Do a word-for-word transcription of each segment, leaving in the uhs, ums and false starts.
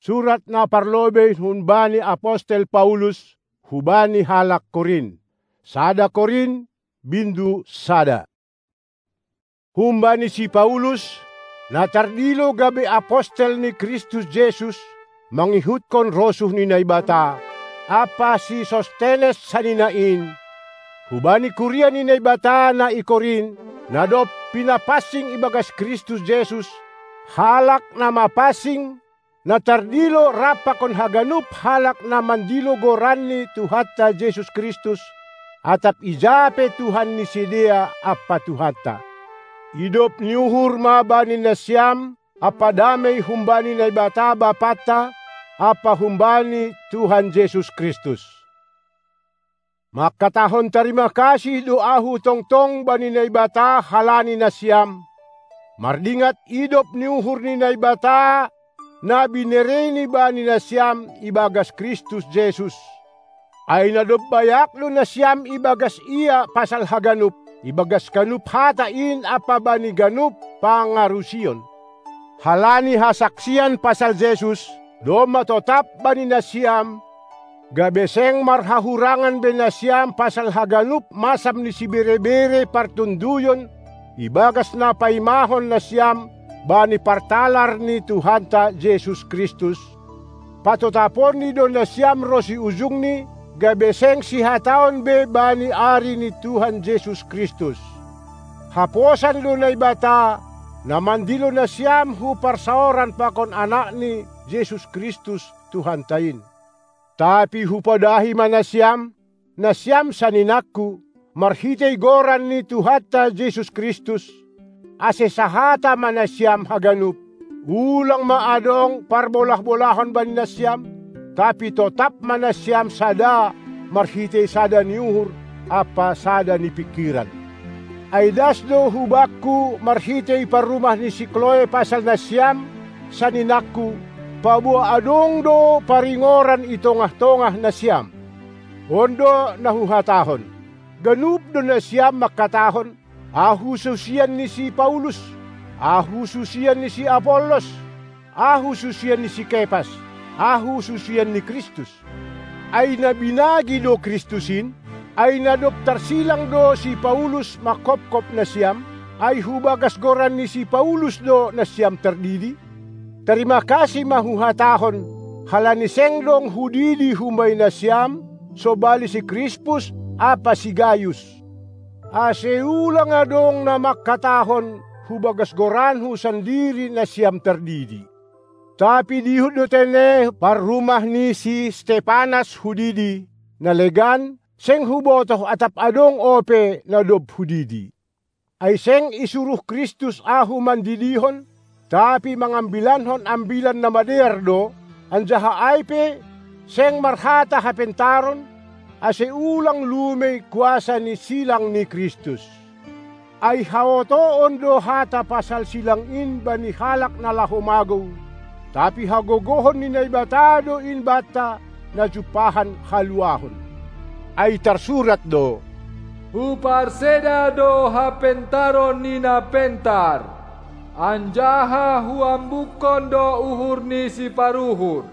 Surat na parlobei humbani apostel Paulus hubani halak Korint. Sada Korint, bindu sada. Humbani si Paulus, na tardilo gabe apostel ni Kristus Jesus, mangihutkon rosuh ni Naibata, ampa si Sostenes sanina in, hubani kuria ni Naibata na i Korint, na dob pinapansing ibagas Kristus Jesus, halak na mapansing, na tardilo rap pakon haganup halak na mandilo goran ni Tuhanta Jesus Kristus, atap ija pe Tuhan ni sidea ampa Tuhanta. Idop ni uhur ma bani nasiam ampa damei humbani Naibata Bapanta ampa humbani Tuhan Jesus Kristus. Mangkatahon tarima kasih do ahu tongtong bani Naibata halani nasiam, mardingat idop ni uhur ni Naibata na binereini bani nasiam ibagas Kristus Jesus. Ai na dob bayak do nasiam ibagas Ia pasal haganup, ibagas ganup hata in ampa bani ganup pangarusion. Halani hasaksian pasal Jesus, domma totap bani nasiam, gabe seng marhahurangan be nasiam pasal haganup masam ni siberebere partonduyon ibagas na paimahon nasiam bani partalar ni Tuhanta Jesus Kristus, patotaponni do nasiam ronsi ujungni, gabe seng sihataon be bani ari ni Tuhan Jesus Kristus. Haposan do Naibata, na mandilo nasiam hu parsaoran pakon Anakni, Jesus Kristus, Tuhanta in. Tapi hupadahi ma nasiam, nasiam saninangku, marhitei goran ni Tuhanta Jesus Kristus, ase sahata ma nasiam haganup, ulang ma adong parbolah-bolahon bani nasiam, tapi totap ma nasiam sada marhitei sada ni uhur ampa sada ni pingkiran. Ai das do hubakku marhitei parrumah ni si Kloe pasal nasiam, saninangku, paboa adong do paringoran i tongah-tongah nasiam. On do na huhatahon: Ganup do nasiam mangkatahon: Ahu susian ni si Paulus, ahu susian ni si Apollos, ahu susian ni si Kepas, ahu susian ni Kristus. Ai na binagi do Kristus in? Ai na dob tarsilang do si Paulus manghophop nasiam? Ai hubagas goran ni si Paulus do nasiam tardidi? Tarima kasih ma huhatahon, halani seng dong hudidi humbani nasiam, sobali si Krispus ampa si Gayus. Ase ulang adong na mangkatahon hubagas goranhu sandiri nasiam tardidi. Tapi dihut do tene parrumah ni si Stepanas hudidi, na legan, seng hubotoh atap adong ope na dob hudidi. Ai seng isuruh Kristus ahu mandidihon, tapi mangambilankon Ambilan Namadear do, anjaha ai pe seng marhata hapentaron, ase ulang lumei kuasa ni silang ni Kristus. Ai haotoon do hata pasal silang in bani halak na laho magou, tapi hagogohon ni Naibata do in banta na jumpahan haluahon. Ai tarsurat do: Huparseda do hapentaron ni na pentar, anjaha huambukkon do uhur ni siparuhur.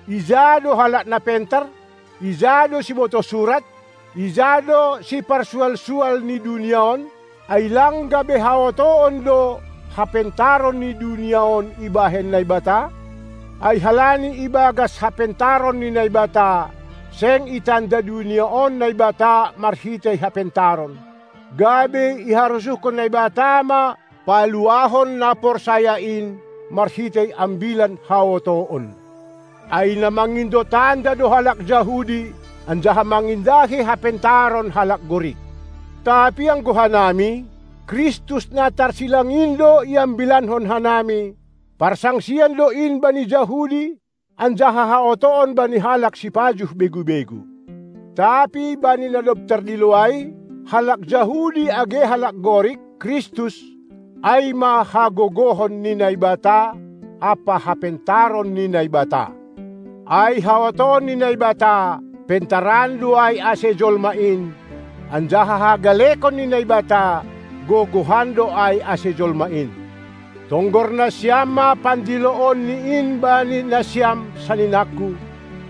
Ija do halak na pentar? Ija do sibotoh surat? Ija do siparsual-sual ni dunia on? Ai lang gabe haotoon do hapentaron ni dunia on ibahen Naibata? Ai halani ibagas hapentaron ni Naibata, seng itanda dunia on Naibata marhitei hapentaron, gabe iharosuhkon Naibata ma paluahon na porsaya in marhitei ambilan haotoon. Ai na mangindo tanda do halak Jahudi, anjaha mangindahi hapentaron halak Gorik. Tapi anggo hanami, Kristus na tarsilang in do iambilankon hanami, parsangsian do in bani Jahudi, anjaha haotoon bani halak sipajuh begu-begu. Tapi bani na dob tardilo ai, halak Jahudi age halak Gorik, Kristus, ai ma hagogohon ni Naibata ampa hapentaron ni Naibata. Ai haotoon ni Naibata, pentaran do ai ase jolma in, anjaha hagalekon ni Naibata, gogohan do ai ase jolma in. Tonggor nasiam ma pandiloon ni in bani nasiam, saninangku: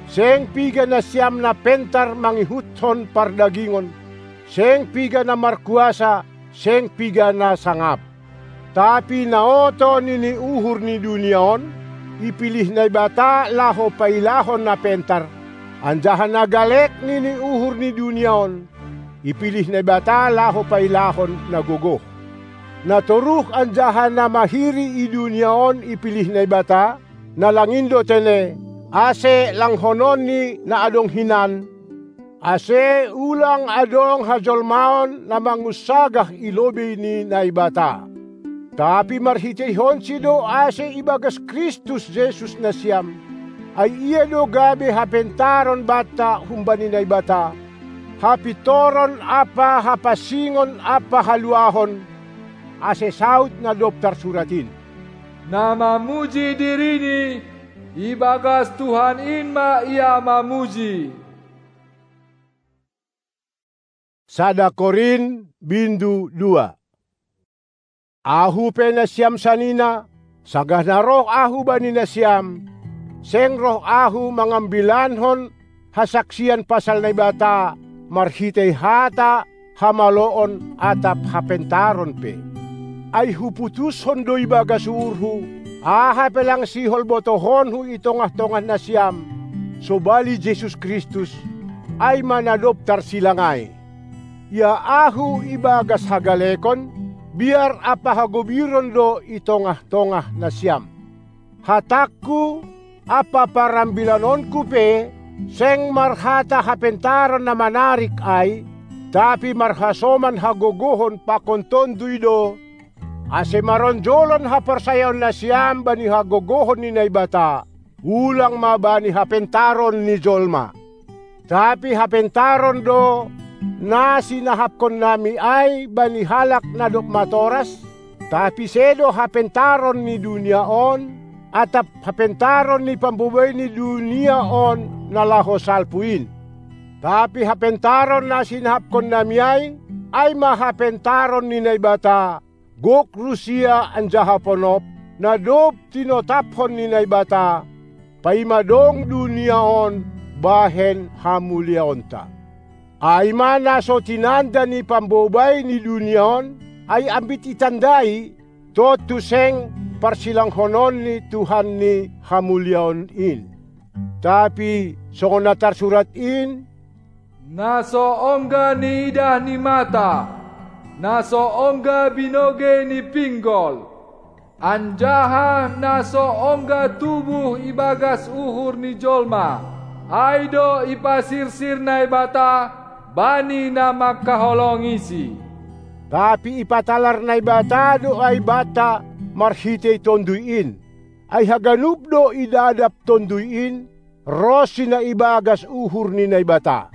Seng piga nasiam na pentar mangihuthon pardagingon, seng piga na markuasa, seng piga na sangap. Tapi naoto nini uhur ni dunia on, ipilih Naibata laho pailahon na pentar, anjaha na galek nini uhur ni dunia on, ipilih Naibata laho pailahon na gogoh. Na toruh anjaha na mahiri i dunia on ipilih Naibata, na lang in do tene, ase langhonon ni na adong hinan, ase ulang adong hajolmaon na mangunsagah i lobei ni Naibata. Tapi marhiteihonsi do ase ibagas Kristus Jesus nasiam, ai ia do gabe hapentaron banta humbani Naibata, hapintoron ampa hapansingon ampa haluahon, ase saud na dob tarsurat in: Na mamuji dirini, ibagas Tuhan in ma ia mamuji. Sada Korint, bindu dua. Ahu pe nasiam sanina, sanggah na roh ahu bani nasiam, seng roh ahu mangambilankon hasaksian pasal Naibata marhitei hata hamaloon atap hapentaron pe. Ai huputushon do ibagas uhurhu, aha pe lang sihol botohonhu i tongah-tongah nasiam, sobali Jesus Kristus, ai ma na dob tarsilang ai. Ia ahu ibagas hagalekon, biar ampa hagobiron do i tongah-tongah nasiam. Hatangku ampa parambilanonku pe, seng marhata hapentaron na manarik ai, tapi marhasoman hagogohon pakon Tonduy do, ase maronjolan haporsayaon nasiam bani hagogohon ni Naibata, ulang ma bani hapentaron ni jolma. Tapi hapentaron do na sinahapkonnami ai bani halak na dob matoras, tapi sedo hapentaron ni dunia on, atap hapentaron ni pambobai ni dunia on na laho salpu in. Tapi hapentaron na sinahapkonnami ai, ai ma hapentaron ni Naibata, gok rusia anjaha ponop, na dob tinotaphon ni Naibata, paima dong dunia on bahen hamuliaonta. Ai ma na so tinanda ni pambobai ni dunia on, ai ambit itandai, tontu seng parsilanghonon ni Tuhan ni hamuliaon in. Tapi songon na tarsurat in: Na so ongga niidah ni mata, na so ongga binogei ni pinggol, anjaha na so ongga tubuh ibagas uhur ni jolma, ai do ipasirsir Naibata bani na mangkaholongisi. Tapi ipatalar Naibata do ai banta marhitei Tonduy in. Ai haganup do idadap Tonduy in, ronsi na ibagas uhur ni Naibata.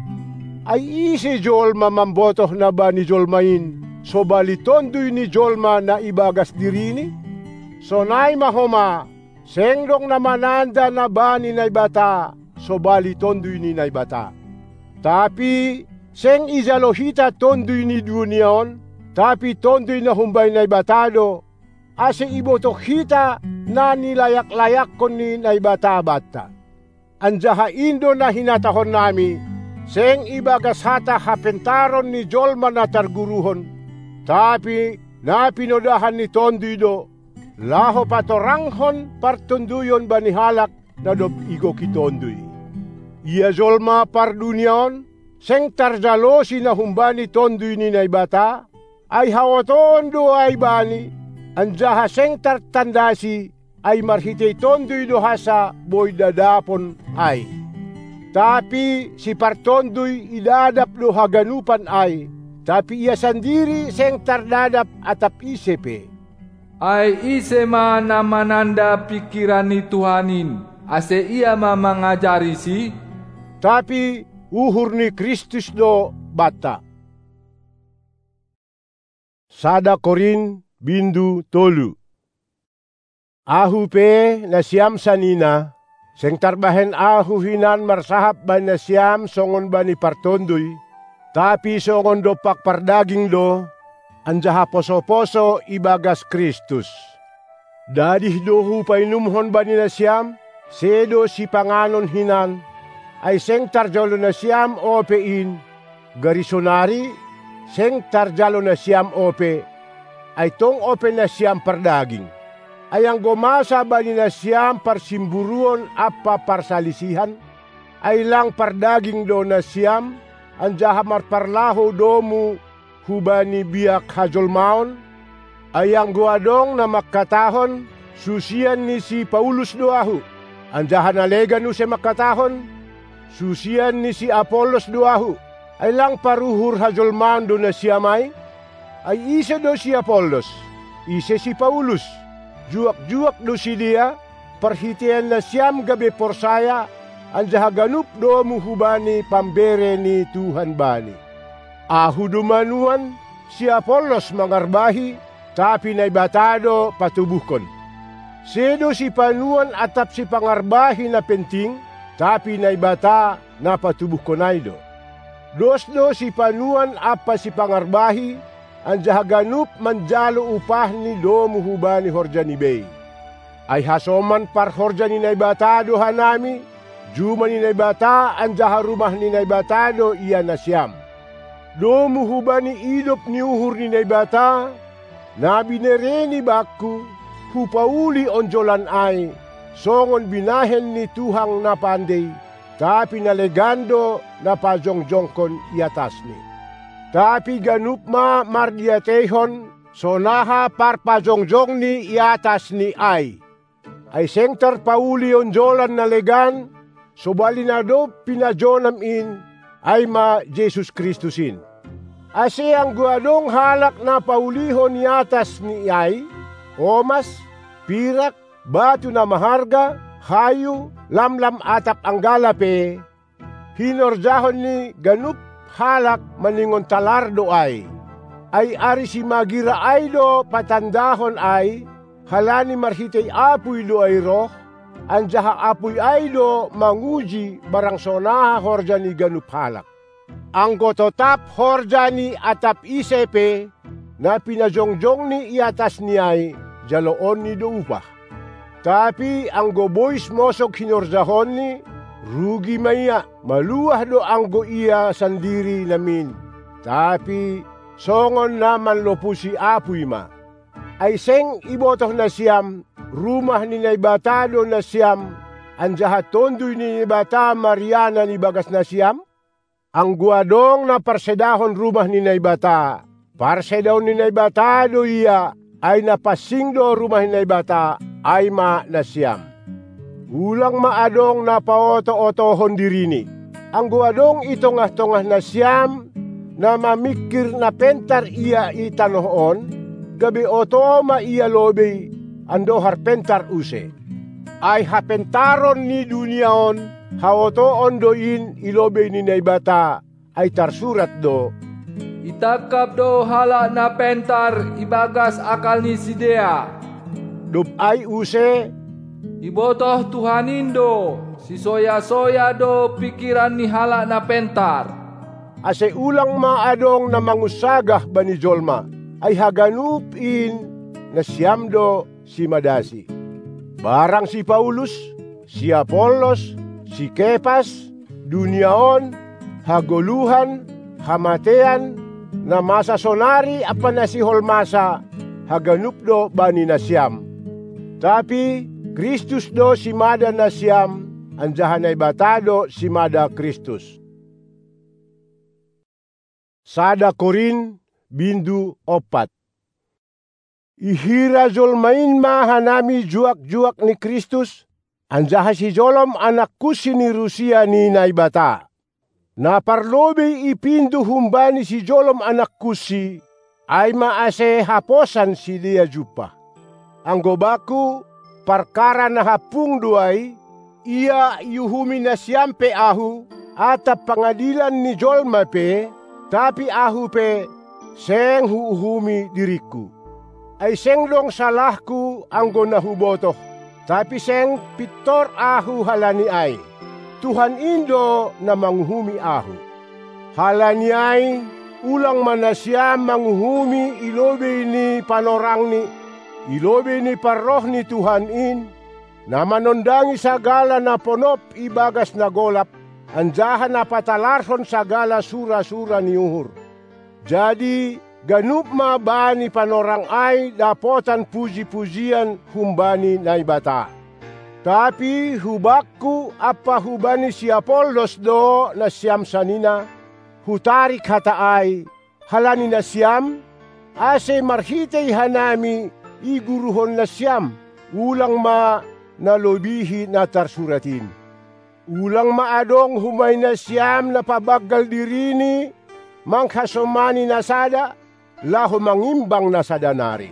Ai ise jolma mambotoh na bani jolma in, sobali Tonduy ni jolma na ibagas dirini? Sonai ma homa, seng dong na mananda na bani Naibata, sobali Tonduy ni Naibata. Tapi seng ijalo hita Tonduy ni dunia on, tapi Tonduy na humbani Naibata do, ase ibotoh hita na nilayak-layakkon ni Naibata banta. Anjaha in do na hinatahonnami, seng ibagas hata hapentaron ni jolma na targuruhon, tapi na pinodahan ni Tonduy do, laho patoranghon partonduyon bani halak na dob igoki Tonduy. Ia jolma pardunia on, seng tarjalosi na humbani Tonduy ni Naibata, ai haotoon do ai bani, anjaha seng tartandasi, ai marhitei Tonduy do hansa boi dadapon ai. Tapi sipartonduy idadap do haganupan ai, tapi ia sandiri seng tardadap atap ise pe. Ai ise ma na mananda pingkiran ni Tuhan in, ase ia ma mangajarisi? Tapi uhur ni Kristus do banta. Sada Korint, bindu tolu. Ahu pe, nasiam sanina, seng tarbahen ahu hinan marsahap bani nasiam songon bani partonduy, tapi songon dompak pardaging do, anjaha poso-poso ibagas Kristus. Dadih do hupainumhon bani nasiam, sedo sipanganon hinan, ai seng tarjalo nasiam ope in, gari sonari seng tarjalo nasiam ope, ai tong ope nasiam pardaging. Ai anggo masa bani nasiam parsimburuon ampa parsalisihan, ai lang pardaging do nasiam, anjaha marparlahou domu hubani biak hajolmaon? Ai anggo adong na mangkatahon, "Susian ni si Paulus do ahu," anjaha na legan use mangkatahon, "Susian ni si Apollos do ahu," ai lang paruhur hajolmaon do nasiam ai? Ai ise do si Apollos? Ise si Paulus? Juak-juak do sidea, parhiteian nasiam gabe porsaya, anjaha ganup domu hubani pambere ni Tuhan bani. Ahu do manuan, si Apollos mangarbahi, tapi Naibata do patubuhkon. Sedo sipanuan atap sipangarbahi na penting, tapi Naibata na patubuhkon ai do. Dos do sipanuan ampa sipangarbahi, anjaha ganup manjalo upahni domu hubani horjani bei. Ai hasoman parhorja ni Naibata do hanami, juma ni Naibata anjaha rumah ni Naibata do ia nasiam. Domu hubani idop ni uhur ni Naibata, na binereNi bangku, hupauli onjolan ai, songon binahen ni tuhang na pandei, tapi na legan do na pajongjongkon i atasni. Tapi ganup ma mardiateihon, sonaha parpajongjongni i atasni ai. Ai seng tarpauli onjolan na legan, sobali na dob pinajonam in, ai ma Jesus Kristus in. Ase anggo adong halak na paulihon i atasni ai, omas, pirak, batu na maharga, hayu, lamlam atap anggala pe, hinorjahon ni ganup halak maningon talar do ai. Ai ari simagira ai do patandahon ai, halani marhitei apuy do ai roh, anjaha apuy ai do manguji barang sonaha horja ni ganup halak. Anggo totap horja ni atap ise pe, na pinajongjongni i atasni ai, jaloonni do upah. Tapi anggo bois mosog hinorjahonni, rugi ma ia, maluah do anggo ia sandiri namin. Tapi songon na manlopusi apuy ma. Ai seng ibotoh nasiam, rumah ni Naibata do nasiam, anjaha Tonduy ni Naibata marianan i bagas nasiam? Anggo adong na parsedahon rumah ni Naibata, parsedaon ni Naibata do ia, ai na pansing do rumah ni Naibata, ai ma nasiam. Ulang ma adong na paoto-otohon dirini. Anggo adong i tongah-tongah nasiam na mamingkir na pentar ia i tanoh on, gabe oto ma ia lobei, andohar pentar use. Ai hapentaron ni dunia on, haotoon do in i lobei ni Naibata, ai tarsurat do: Itangkap do halak na pentar i bagas akal ni sidea. Dob ai use: Ibotoh Tuhan in do, sisoya-soya do pingkiran ni halak na pentar. Ase ulang ma adong na mangunsagah bani jolma, ai haganup in nasiam do simadasi. Barang si Paulus, si Apollos, si Kepas, dunia on, hagoluhan, hamatean, na masa sonari ampa na sihol masa, haganup do bani nasiam. Tapi Kristus do simada nasiam, anjaha Naibata do simada Kristus. Sada Korin, bindu ompat. Ihira jolma in ma hanami juak-juak ni Kristus, anjaha sijolom anak kunsi ni rusia ni Naibata. Na parlobei ipindo humbani sijolom anak kunsi, ai ma ase haposan sidea jumpah. Anggo bangku, parkara na hampung do ai, ia iuhumi nasiam pe ahu, atap pangadilan ni jolma pe, tapi ahu pe seng huuhumi diringku. Ai seng dong salahku anggo na hubotoh, tapi seng pintor ahu halani ai. Tuhan in do na manguhumi ahu. Halani ai, ulang ma nasiam manguhumi i lobei ni panorangni, i lobei ni parroh ni Tuhan in, na manondangi sagala na ponop ibagas na golap, anjaha na patalarhon sagala sura-sura ni uhur. Jadi, ganup ma bani panorang ai dapotan puji-pujian humbani Naibata. Tapi hubakku ampa hubani si Apollos do nasiam sanina, hutarik hata ai, halani nasiam, ase marhitei hanami iguruhon nasiam, ulang ma na lobihi na tarsurat in. Ulang ma adong humbani nasiam na pabanggal dirini manghasomani na sada, laho mangimbang na sada nari.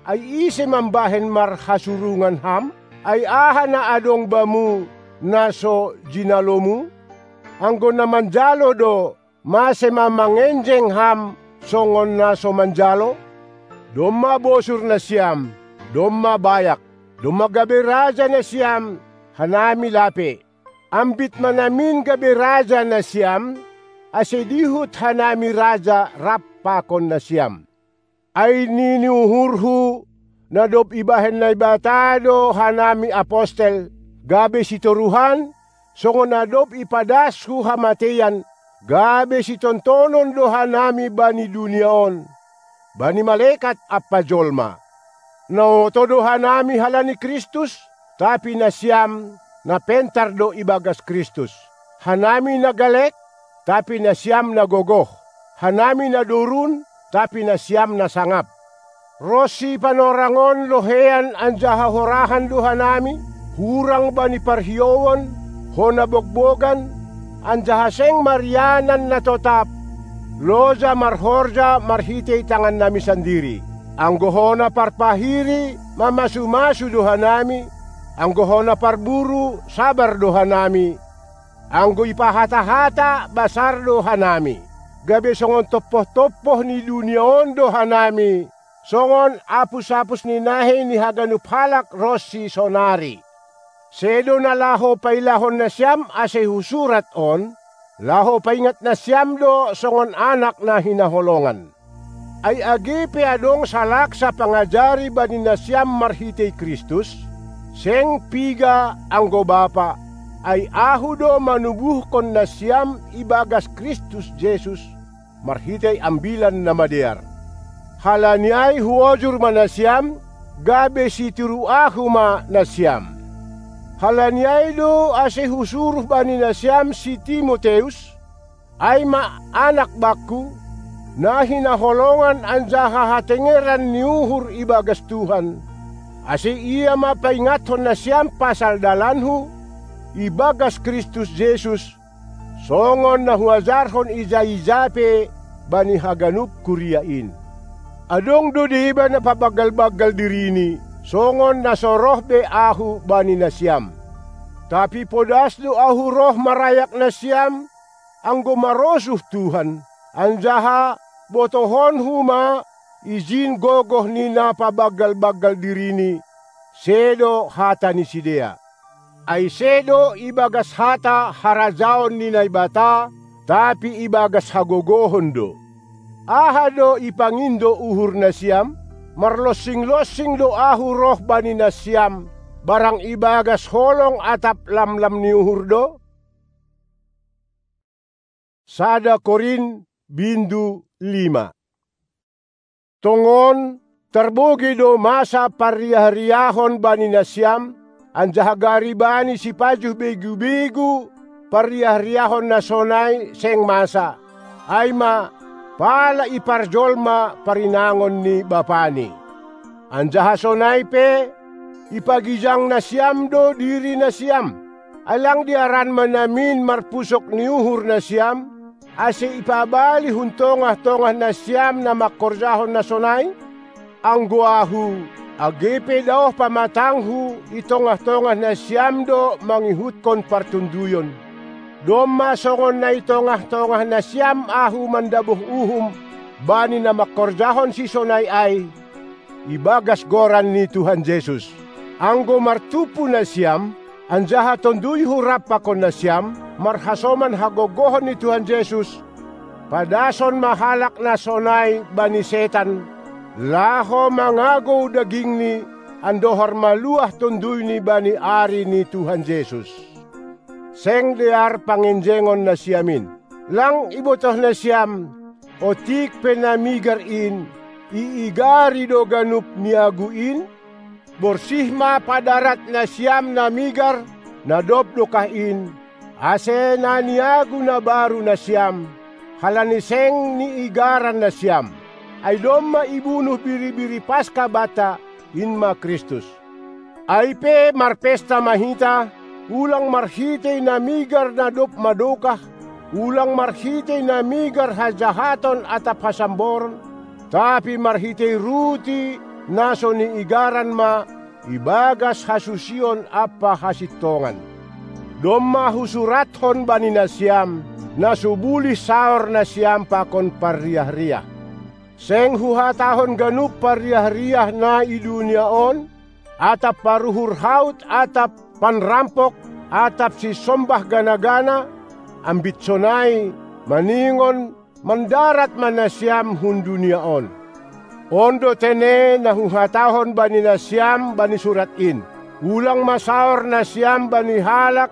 Ai ise mambahen marhasurungan ham? Ai aha na adong bamu na so jinalomu? Anggo na manjalo do, mase ma mangenjeng ham songon na so manjalo? Domma bosur nasiam, domma bayak, domma gabe raja nasiam, hanami lape. Ambit ma namin gabe raja nasiam, ase dihut hanami raja rap pakon nasiam. Ai nini uhurhu, na dob ibahen Naibata do hanami apostel, gabe sitoruhan, songon na dob ipadashu hamateian, gabe sitontonon do hanami bani dunia on, bani malekat ampa jolma. Na oto do hanami halani Kristus, tapi nasiam na pentar do ibagas Kristus. Hanami na galek, tapi nasiam na gogoh. Hanami na dorun, tapi nasiam na sangap. Ronsi panorang on lohean anjaha horahan do hanami, hurang bani parhiouon, hona bogbogan, anjaha seng marianan na totap, loja marhorja marhitei tangannami sandiri. Anggo hona parpahiri mamasu-masu do hanami, anggo hona parburu sabar do hanami, anggo ipahata-hata basar do hanami, gabe songon tompoh-tompoh ni dunia on do hanami, songon apus-apus ni nahei ni haganup halak ronsi sonari. Sedo na laho pailahon nasiam ase husurat on, laho paingat nasiam do songon anak na hinaholongan. Ai age pe adong salaksa pangajari bani nasiam marhitei Kristus, seng piga anggo bapa, ai ahu do manubuhkon nasiam ibagas Kristus Jesus, marhitei Ambilan Namadear. Halani ai huojur ma nasiam, gabe sitiru ahu ma nasiam. Halani ai do ase husuruh bani nasiam si Timoteus, ai ma anak bakku, na hinaholongan anjaha hatengeran ni uhur ibagas Tuhan, ase ia ma paingathon nasiam pasal dalanhu ibagas Kristus Jesus, songon na huajarhon ija-ija pe bani haganup kuria in. Adong do deba na pabanggal-banggal dirini, songon na so roh be ahu bani nasiam. Tapi podas do ahu roh marayak nasiam, anggo marosuh Tuhan, anjaha botohonhu ma ijin gogoh ni na pabanggal-banggal dirini, sedo hata ni sidea. Ai sedo ibagas hata harajaon ni Naibata, tapi ibagas hagogohon do. Aha do ipangindo uhur nasiam? Marlonsing-lonsing do ahu roh bani nasiam, barang ibagas holong atap lamlam ni uhur do? Sada Korin, bindu lima. Tongon, tarbogei do masa parriah-riahon bani nasiam, anjaha gari bani sipajuh begu-begu parriah-riahon na sonai seng masa, ai ma, pala iparjolma parinangon ni bapani. Anjaha sonai pe, ipagijang nasiam do diri nasiam. Ai lang diaran ma namin marpusok ni uhur nasiam, ase ipabali hun tongah-tongah nasiam na mangkorjahon na sonai? Anggo ahu, age pe daoh pamatanghu i tongah-tongah nasiam do mangihutkon partonduyon. Domma songon na i tongah-tongah nasiam ahu mandabuh uhum bani na mangkorjahon sisonai ai, ibagas goran ni Tuhan Jesus. Anggo martumpu nasiam, anjaha tonduyhu rap pakon nasiam, marhasoman hagogohon ni Tuhan Jesus, padason ma halak na sonai bani setan, laho mangagou dagingni, andohar maluah tonduyni bani ari ni Tuhan Jesus. Seng dear pangenjengon nasiam in. Lang ibotoh nasiam, otik pe na migar in, iigari do ganup niagu in? Borsih ma padarat nasiam na migar, na dob dokah in, ase na niagu na baru nasiam, halani seng niigaran nasiam. Ai domma ibunuh biri-biri Paska banta, in ma Kristus. Ai pe marpesta ma hita, ulang marhitei na migar na dob madokah, ulang marhitei na migar hajahaton atap hasamboron, tapi marhitei ruti na so niigaran ma, ibagas hasusion ampa hasintongan. Domma husurathon bani nasiam, na so bulih saor nasiam pakon parriah-riah. Seng huhatahon ganup parriah-riah na i dunia on, atap paruhur haut, atap panrampok, atap sisombah gana-gana, ambit sonai, maningon, mandarat ma nasiam hun dunia on. On do tene na huhatahon bani nasiam bani surat in: Ulang ma saor nasiam bani halak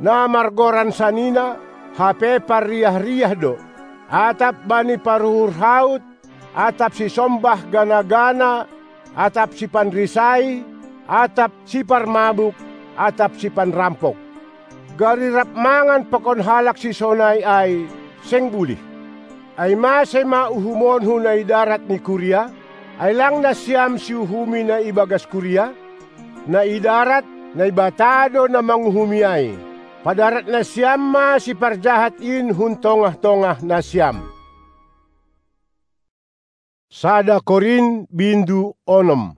na margoran sanina, hape parriah-riah do, atap bani paruhur haut, atap sisombah gana-gana, atap sipanrisai, atap siparmabuk, atap sipanrampok. Gari rap mangan pakon halak sisonai ai, seng bulih. Ai mase ma uhumonhu na i darat ni kuria? Ai lang nasiam siuhumi na ibagas kuria? Na i darat, Naibata do na manguhumi ai. Padarat nasiam ma siparjahat in hun tongah-tongah nasiam. Sada Korin bindu onom.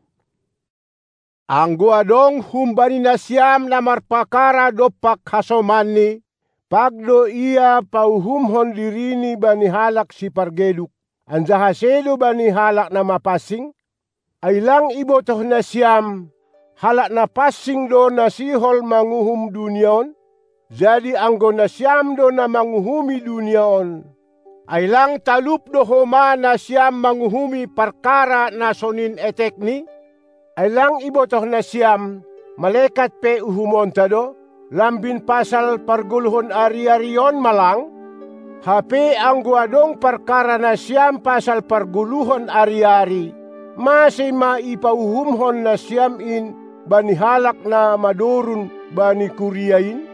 Anggo adong humbani nasiam na marpakara dompak hasomanni, pag do ia pauhumhon dirini bani halak sipargeduk, anjaha sedo bani halak na mapansing? Ai lang ibotoh nasiam, halak na pansing do na sihol manguhum dunia on? Jadi anggo nasiam do na manguhumi dunia on, ai lang talup do homa nasiam manguhumi parkara na sonin etekni? Ai lang ibotoh nasiam, malekat pe uhumonta do, lambin pasal pargoluhon ari-ari on ma lang? Hape anggo adong parkara nasiam pasal pargoluhon ari-ari, mase ma ipauhumhon nasiam in bani halak na madorun bani kuria in?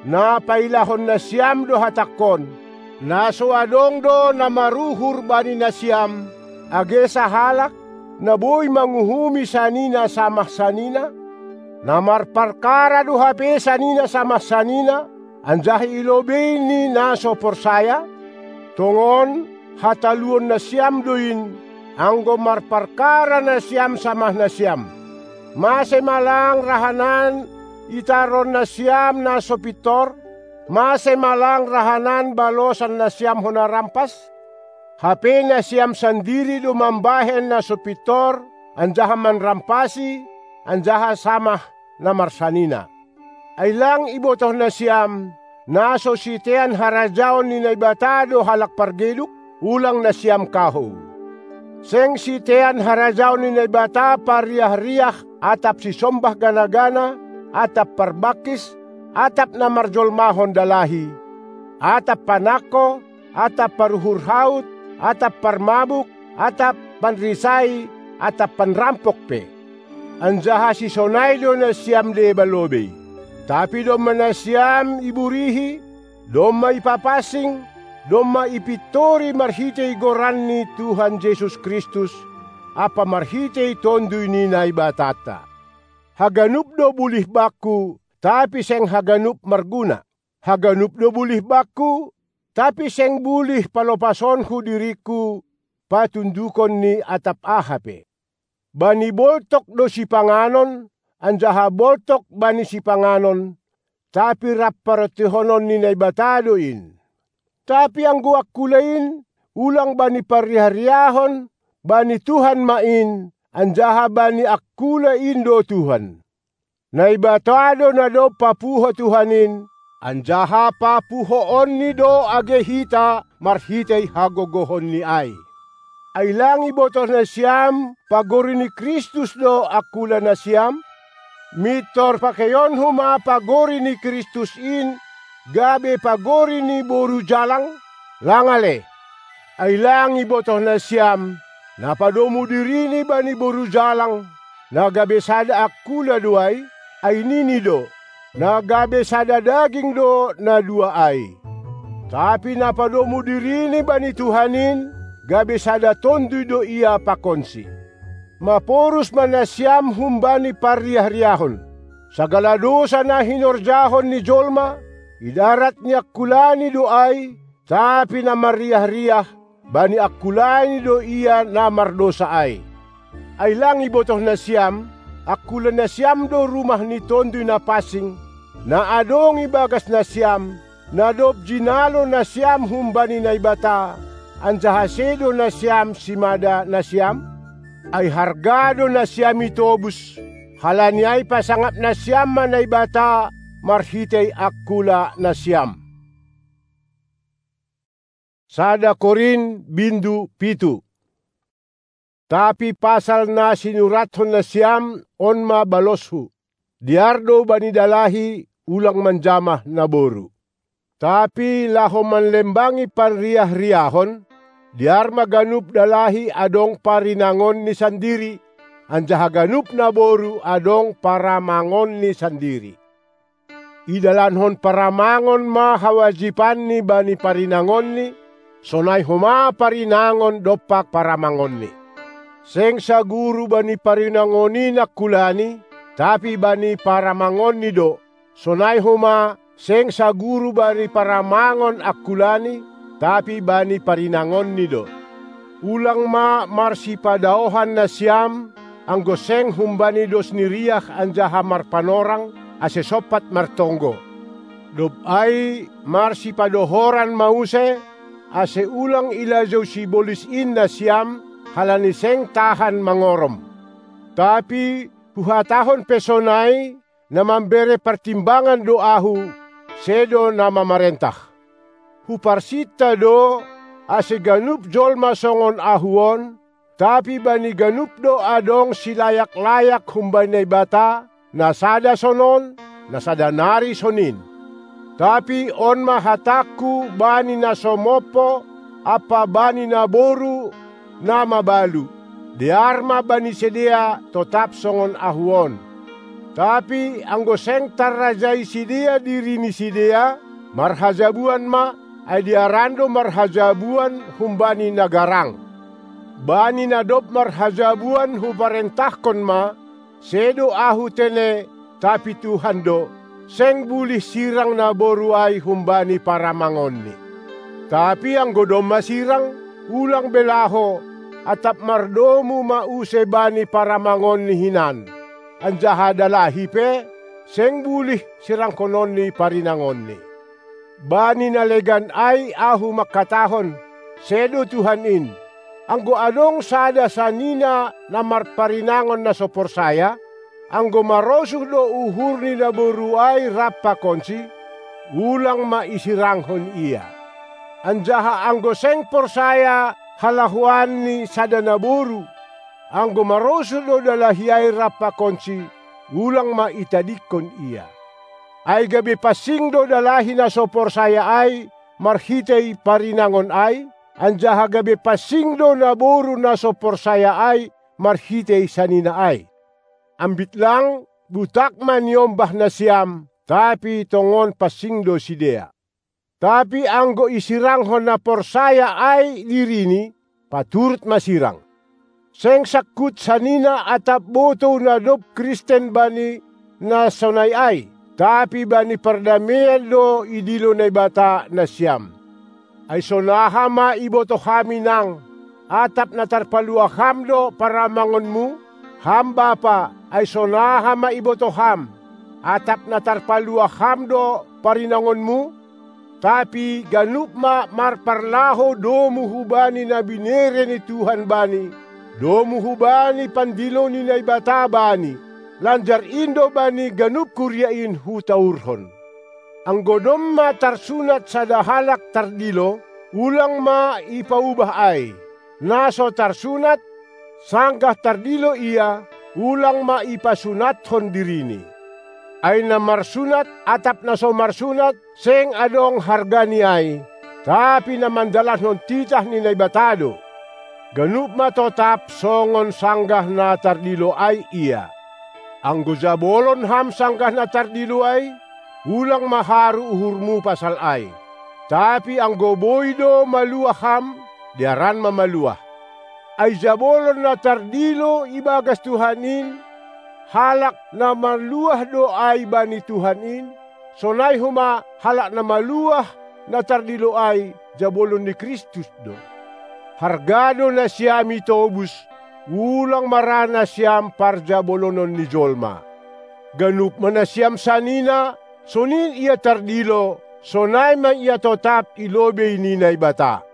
Na pailahon nasiam do hatangkon, na so adong do na maruhur bani nasiam, age sahalak, na boi manguhumi sanina samah sanina? Na marparkara do hape sanina samah sanina, anjaha i lobei ni na so porsaya? Tongon, hataluon nasiam do in, anggo marparkara nasiam samah nasiam. Mase ma lang rahanan itaron nasiam na so pintor? Mase ma lang rahanan balosan nasiam hona rampas? Hape nasiam sandiri do mambahen na so pintor, anjaha manrampasi, anjaha samah na marsanina. Ai lang ibotoh nasiam, na so sitean harajaon ni Naibata do halak pargeduk? Ulang nasiam kahou. Seng sitean harajaon ni Naibata parriah-riah, atap sisombah gana-gana, atap parbangkis, atap na marjolmahon dalahi, atap panangko, atap paruhur haut, atap parmabuk, atap panrisai, atap panrampok pe. Anjaha sisonai do nasiam deba lobei. Tapi domma nasiam iburihi, domma ipapansing, domma ipintori marhitei goran ni Tuhan Jesus Kristus, ampa marhitei Tonduy ni Naibatanta. Haganup do bulih bangku, tapi seng haganup marguna. Haganup do bulih bangku, tapi seng bulih palopashonku diringku patundukon ni atap aha pe. Bani boltok do sipanganon, anjaha boltok bani sipanganon, tapi rap parontihonon ni Naibata do in. Tapi anggo angkula in, ulang bani parriah-riahon, bani Tuhan ma in, anjaha bani angkula in do Tuhan. Naibata do na dob papuho Tuhan in, anjaha papuhoonNi do age hita marhitei hagogohonNi ai. Ai lang ibotoh nasiam pagori ni Kristus do angkula nasiam? Mintor pakeionhu ma pagori ni Kristus in gabe pagori ni boru jalang? Lang ale! Ai lang ibotoh nasiam, na padomu dirini bani boru jalang, na gabe sada angkula do ai? Ai nini do: Na gabe sada daging do na dua ai. Tapi na padomu dirini bani Tuhan in, gabe sada tonduy do ia pakonsi. Maporus ma nasiam humbani parriah-riahon. Sagala dousa na hinorjahon ni jolma, idarat ni angkulani do ai, tapi na marriah-riah, bani angkulani do ia na mardousa ai. Ai lang ibotoh nasiam, angkula nasiam do rumah ni Tonduy Napansing, na adong ibagas nasiam, na dob jinalo nasiam humbani Naibata, anjaha sedo nasiam simada nasiam? Ai harga do nasiam itobus, halani ai pasangap nasiam ma Naibata marhitei angkula nasiam. Sada Korint bindu pitu. Tapi pasal na sinurathon nasiam, on ma baloshu: Dear do bani dalahi ulang manjamah naboru. Tapi laho manlembangi parriah-riahon, dear ma ganup dalahi adong parinangonni sandiri, anjaha ganup naboru adong paramangonni sandiri. Idalankon paramangon ma hawajibanni bani parinangonni, sonai homa parinangon dompak paramangonni. Seng saguru bani parinangon in angkulani, tapi bani paramangonni do, sonai homa seng saguru bani paramangon angkulani, tapi bani parinangonni do. Ulang ma marsipadaohan nasiam, anggo seng humbani dos ni riah anjaha marpanorang, ase sompat martonggo. Dob ai marsipadohoran ma use, ase ulang ilajou sibolis in nasiam, halani seng tahan mangorom. Tapi huhatahon pe sonai, na mambere partimbangan do ahu, sedo na mamarentah. Huparsinta do, ase ganup jolma songon ahu on, tapi bani ganup do adong silayak-layak humbani Naibata, na sada sonon, na sada nari sonin. Tapi on ma hatangku bani na so mompo ampa bani naboru na mabalu: Dear ma bani sidea totap songon ahu on. Tapi anggo seng tarrajai sidea diri ni sidea, marhajabuan ma, ai dearan do marhajabuan humbani na garang. Bani na dob marhajabuan huparentahkon ma, sedo ahu tene, tapi Tuhan do, seng bulih sirang naboru ai humbani paramangonni. Tapi anggo domma sirang, ulang be laho, atap mardomu ma use bani paramangonni hinan, anjaha dalahi pe, seng bulih sirangkononni parinangonni. Bani na legan ai ahu mangkatahon: Sedo Tuhan in. Anggo adong sada sanina na marparinangon na so porsaya, anggo marosuh do uhur ni naboru ai rap pakonsi, ulang ma isirangkon ia. Anjaha anggo seng porsaya halahoan ni sada naboru, anggo marosuh do dalahi ai rap pakonsi, ulang ma itadingkon ia. Ai gabe pansing do dalahi na so porsaya ai marhitei parinangon ai, anjaha gabe pansing do naboru na so porsaya ai marhitei sanina ai. Ambit lang, butak ma niombah nasiam, tapi tongon pansing do sidea. Tapi anggo isirangkon na porsaya ai dirini, paturut ma sirang. Seng sangkut sanina atap botou na dob Kristen bani na sonai ai, tapi bani pardameian do idilo Naibata nasiam. Ai sonaha ma ibotoh ham inang, atap na tarpaluah ham do paramangonmu? Ham bapa, ai sonaha ma ibotoh ham, atap na tarpaluah ham do parinangonmu? Tapi ganup ma marparlaho domu hubani na binere ni Tuhan bani, domu hubani pandilo ni Naibata bani, lanjar in do bani ganup kuria in hutaurhon. Anggo domma tarsunat sada halak tardilo, ulang ma ipaubah ai. Na so tarsunat, sanggah tardilo ia, ulang ma ipasunathon dirini. Ai na marsunat atap na so marsunat, seng adong hargani ai, tapi na mandalankon titah ni Naibata do. Ganup ma totap songon sanggah na tardilo ai ia. Anggo jabolon ham sanggah na tardilo ai, ulang ma haru uhurmu pasal ai. Tapi anggo boi do maluah ham, dearan ma maluah. Ai jabolon na tardilo ibagas Tuhan in, halak na maluah do ai bani Tuhan in, sonai homa halak na maluah na tardilo ai jabolon ni Kristus do. Harga do nasiam itobus, ulang ma ra nasiam parjabolonon ni jolma. Ganup ma nasiam sanina, sonin ia tardilo, sonai ma ia totap i lobei ni Naibata.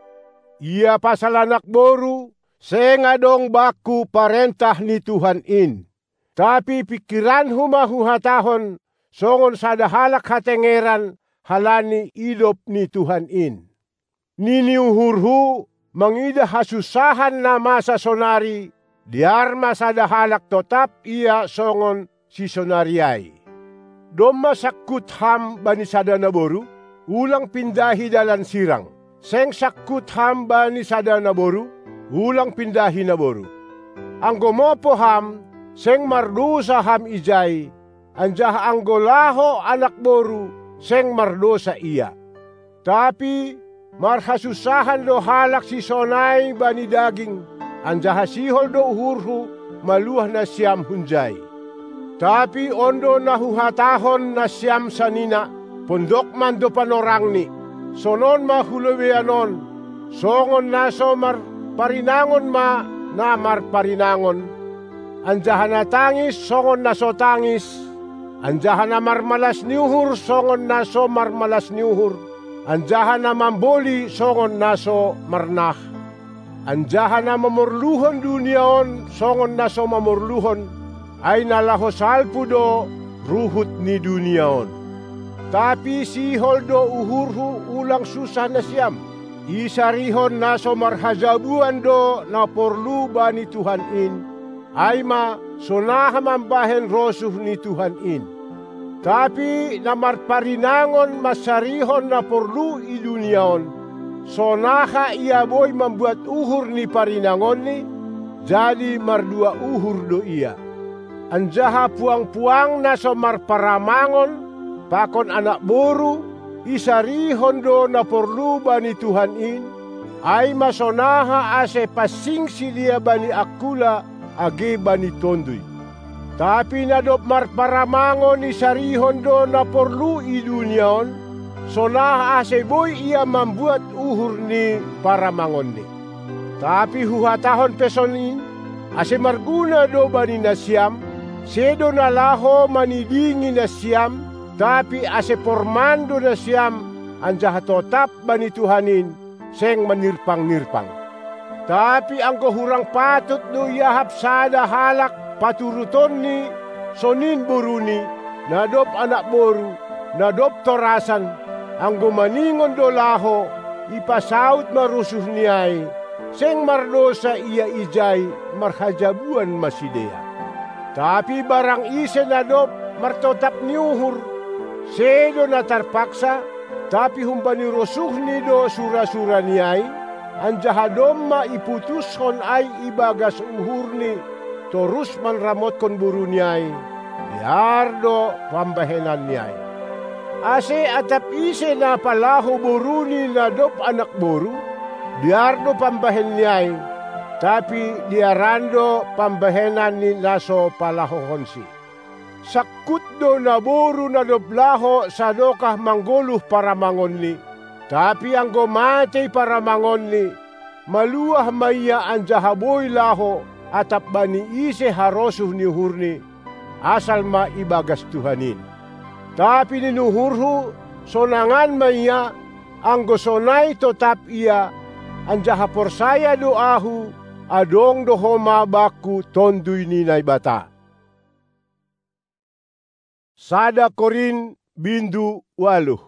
Ia pasal anak boru, seng adong bangku parentah ni Tuhan in. Tapi pingkiranhu ma huhatahon, songon sada halak hatengeran, halani idop ni Tuhan in. Nini uhurhu, mangidah hasunsahan na masa sonari, dear ma sada halak totap ia songon sisonari ai. Domma sangkut ham bani sada naboru, ulang pindahi dalan sirang. Seng sangkut ham bani sada naboru, ulang pindahi naboru. Anggo mopo ham, seng mardousa ham ijai, anjaha anggo laho anak boru, seng mardousa ia. Tapi marhasunsahan do halak sisonai bani daging, anjaha sihol do uhurhu maluah nasiam hunjai. Tapi on do na huhatahon nasiam sanina, pondok mando panorangni, sonon ma hulobeian on, songon na so marparinangon ma na marparinangon, anjaha na tangis songon na so tangis, anjaha na marmalas ni uhur songon na so marmalas ni uhur, anjaha na mamboli songon na so marnah, anjaha na mamorluhon dunia on songon na so mamorluhon, ai na laho salpu do ruhut ni dunia on. Tapi sihol do uhurhu ulang sunsah nasiam. Isarihon na so marhajabuan do na porlu bani Tuhan in, ai ma sonaha mambahen rosuh ni Tuhan in. Tapi na marparinangon mansarihon na porlu i dunia on, sonaha ia boi mambuat uhur ni parinangonni, jadi mardua uhur do ia. Anjaha puang-puang na so marparamangon pakon anak boru, isarihon do na porlu bani Tuhan in, ai ma sonaha ase pansing sidea bani angkula age bani tonduy. Tapi na dob marparamangon isarihon do na porlu i dunia on, sonaha ase boi ia mambuat uhur ni paramangonni. Tapi huhatahon pe sonin, ase marguna do bani nasiam, sedo na laho manidingi nasiam, tapi ase porman do nasiam, anjaha totap bani Tuhan in, seng manirpang-nirpang. Tapi anggo hurang patut do iahap sada halak paturutonni, sonin boruni, na dob anak boru, na dob torasan, anggo maningon do laho, ipasaut ma rosuhni ai, seng mardousa ia ijai, marhajabuan ma sidea. Tapi barang ise na dob martotap ni uhur, sedo na tarpaksa, tapi humbani rosuhni do sura-surani ai, anjaha domma iputushon ai ibagas uhurni, torus manramotkon boruni ai, dear do pambahenanni ai. Ase atap ise na palaho boruni na dob anak boru, dear do pambahenni ai, tapi dearan do pambahenan ni na so palahohonsi. Sangkut do naboru na dob laho sadokah manggoluh paramangonni, tapi anggo matei paramangonni, maluah ma ia anjaha boi laho atap bani ise harosuh ni uhurni, asal ma ibagas Tuhan in. Tapi nini uhurhu, sonangan ma ia, anggo sonai totap ia, anjaha porsaya do ahu, adong do homa bangku Tonduy ni Naibata. Sada Korint bindu ualuh.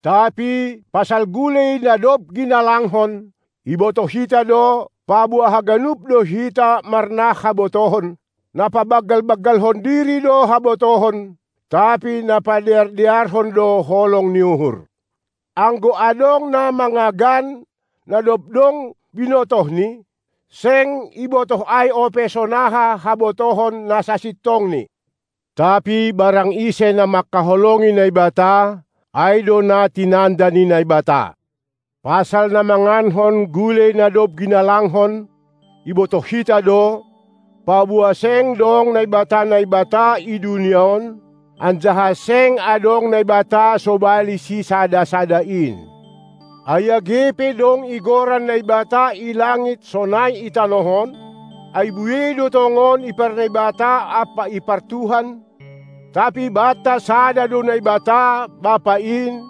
Tapi pasal gulei na dob ginalanghon, Ibotoh hita do, paboa haganup do hita marnah habotohon, na pabanggal-banggalhon diri do habotohon, tapi na padear-dearhon do holong ni uhur. Anggo adong na mangagan, na dob dong binotohni, seng ibotoh ai ope sonaha habotohon na sasintongni. Tapi barang ise na mangkaholongi Naibata, ai do na tinanda ni Naibata. Pasal na mangankon gulei na dob ginalanghon, ibotoh hita do, paboa seng dong naibata-naibata i dunia on, anjaha seng adong Naibata sobali sisada-sada in. Ai age pe dong igoran Naibata i langit sonai i tanoh on, ai buei do tongon iparnaibata ampa ipartuhan, tapi banta sada do Naibata, Bapa in,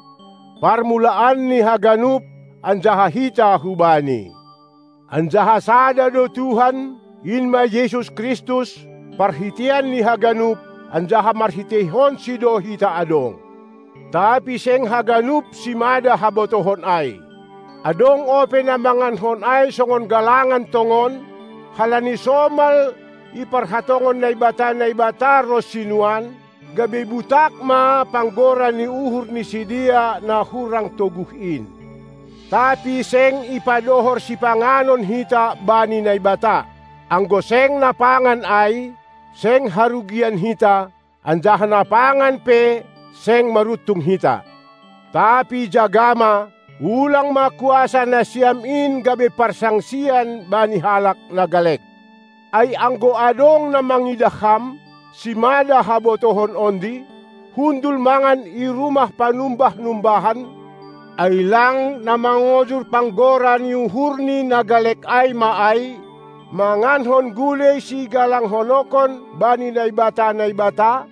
parmulaan ni haganup, anjaha hita hu-Bani. Anjaha sada do Tuhan, in ma Jesus Kristus, parhiteian ni haganup, anjaha marhiteihonSi do hita adong. Tapi seng haganup simada habotohon ai. Adong ope na mangankon ai songon galangan tongon, halani somal iparhatongon naibata-naibata ronsi nuan, gabe butak ma panggora ni uhur ni sidea na hurang toguh in. Tapi seng ipadohor sipanganon hita bani Naibata. Anggo seng na pangan ai, seng harugian hita, anjaha na pangan pe seng maruntung hita. Tapi jaga ma, ulang ma kuasa nasiam in gabe parsangsian bani halak na galek. Ai anggo adong na mangidah ham, simada habotohon ondi, hundul mangan i rumah panumbah-numbahan, ai lang na mangojur panggora ni uhurni na galek ai ma ai, mangankon gulei sigalanghononkon bani naibata-naibata,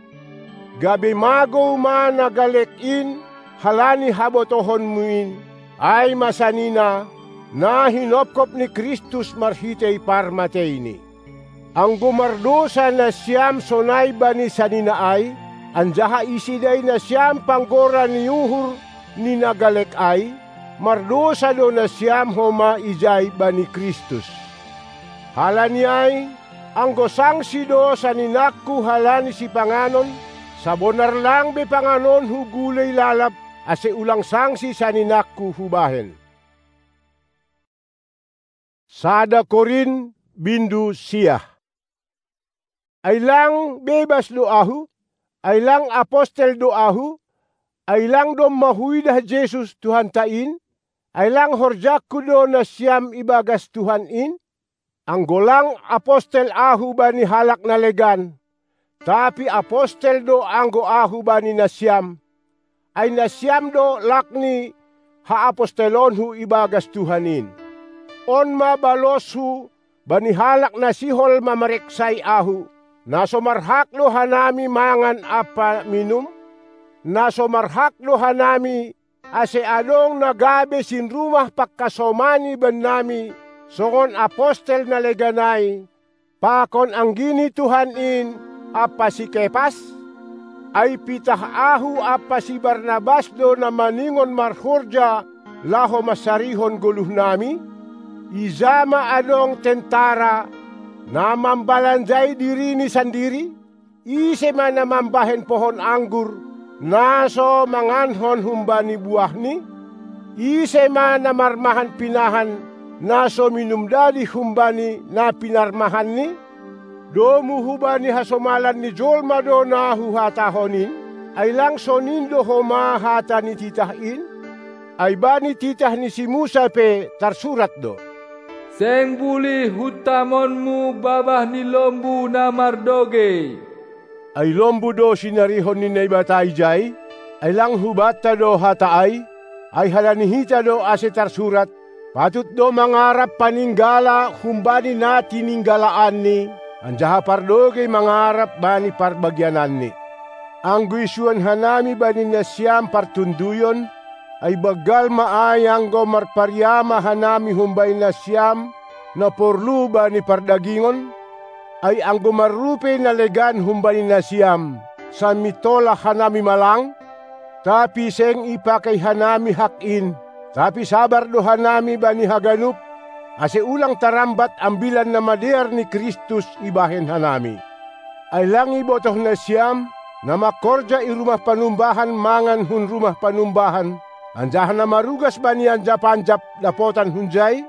gabe magou ma na galek in halani habotohonmu in, ai ma sanina, na hinopkop ni Kristus marhitei parmateiNi. Anggo mardousa nasiam sonai bani sanina ai, anjaha isidai nasiam panggora ni uhur ni na galek ai, mardousa do nasiam homa ijai bani Kristus. Halani ai, anggo sangsi do saninangku halani sipanganon, sabonar lang be panganonhu gulei lalap, ase ulang sangsi saninangku hubahen. Sada Korint bindu siah. Ai lang bebas do ahu? Ai lang apostel do ahu? Ai lang domma huidah Jesus Tuhanta in? Ai lang horjangku do nasiam ibagas Tuhan in? Anggo lang apostel ahu bani halak na legan, tapi apostel do anggo ahu bani nasiam, ai nasiam do lak ni haapostelonhu ibagas Tuhan in. On ma baloshu bani halak na sihol mamareksai ahu: Na so marhak do hanami mangan ampa minum? Na so marhak do hanami, ase adong na gabe sinrumah pangkasomani bannami, songon apostel na legan ai, pakon anggi ni Tuhan in ampa si Kepas? Ai pitah ahu ampa si Barnabas do na maningon marhorja laho mansarihon goluhnami? Ija ma adong tentara, na mambalanjai dirini sandiri? Ise ma na mambahen pohon anggur, na so mangankon humbani buahni? Ise ma na marmahan pinahan, na so minum dadi humbani na pinarmahanni? Domu hubani hasomalan ni jolma do na huhatahon in? Ai lang sonin do homa hata ni titah in? Ai bani titah ni si Musa pe tarsurat do: Seng bulih huntamonmu babah ni lombu na mardogei. Ai lombu do sinarihon ni Naibata ijai? Ai lang hubanta do hata ai? Ai halani hita do ase tarsurat: Patut do mangarap paninggala humbani na tininggalaanni, anjaha pardogei mangarap bani parbagiananni. Anggo isuan hanami bani nasiam partunduyon, ai banggal ma ai anggo marpariama hanami humbani nasiam na porlu bani pardagingon? Ai anggo marrupei na legan humbani nasiam, sai mintolah hanami ma lang? Tapi seng ipakei hanami hak in, tapi sabar do hanami bani haganup, ase ulang tarambat Ambilan Namadear ni Kristus ibahen hanami. Ai lang ibotoh nasiam, na mangkorja i rumah panumbahan mangan hun rumah panumbahan, anjaha na marugas bani anjap-anjap dapotan hunjai?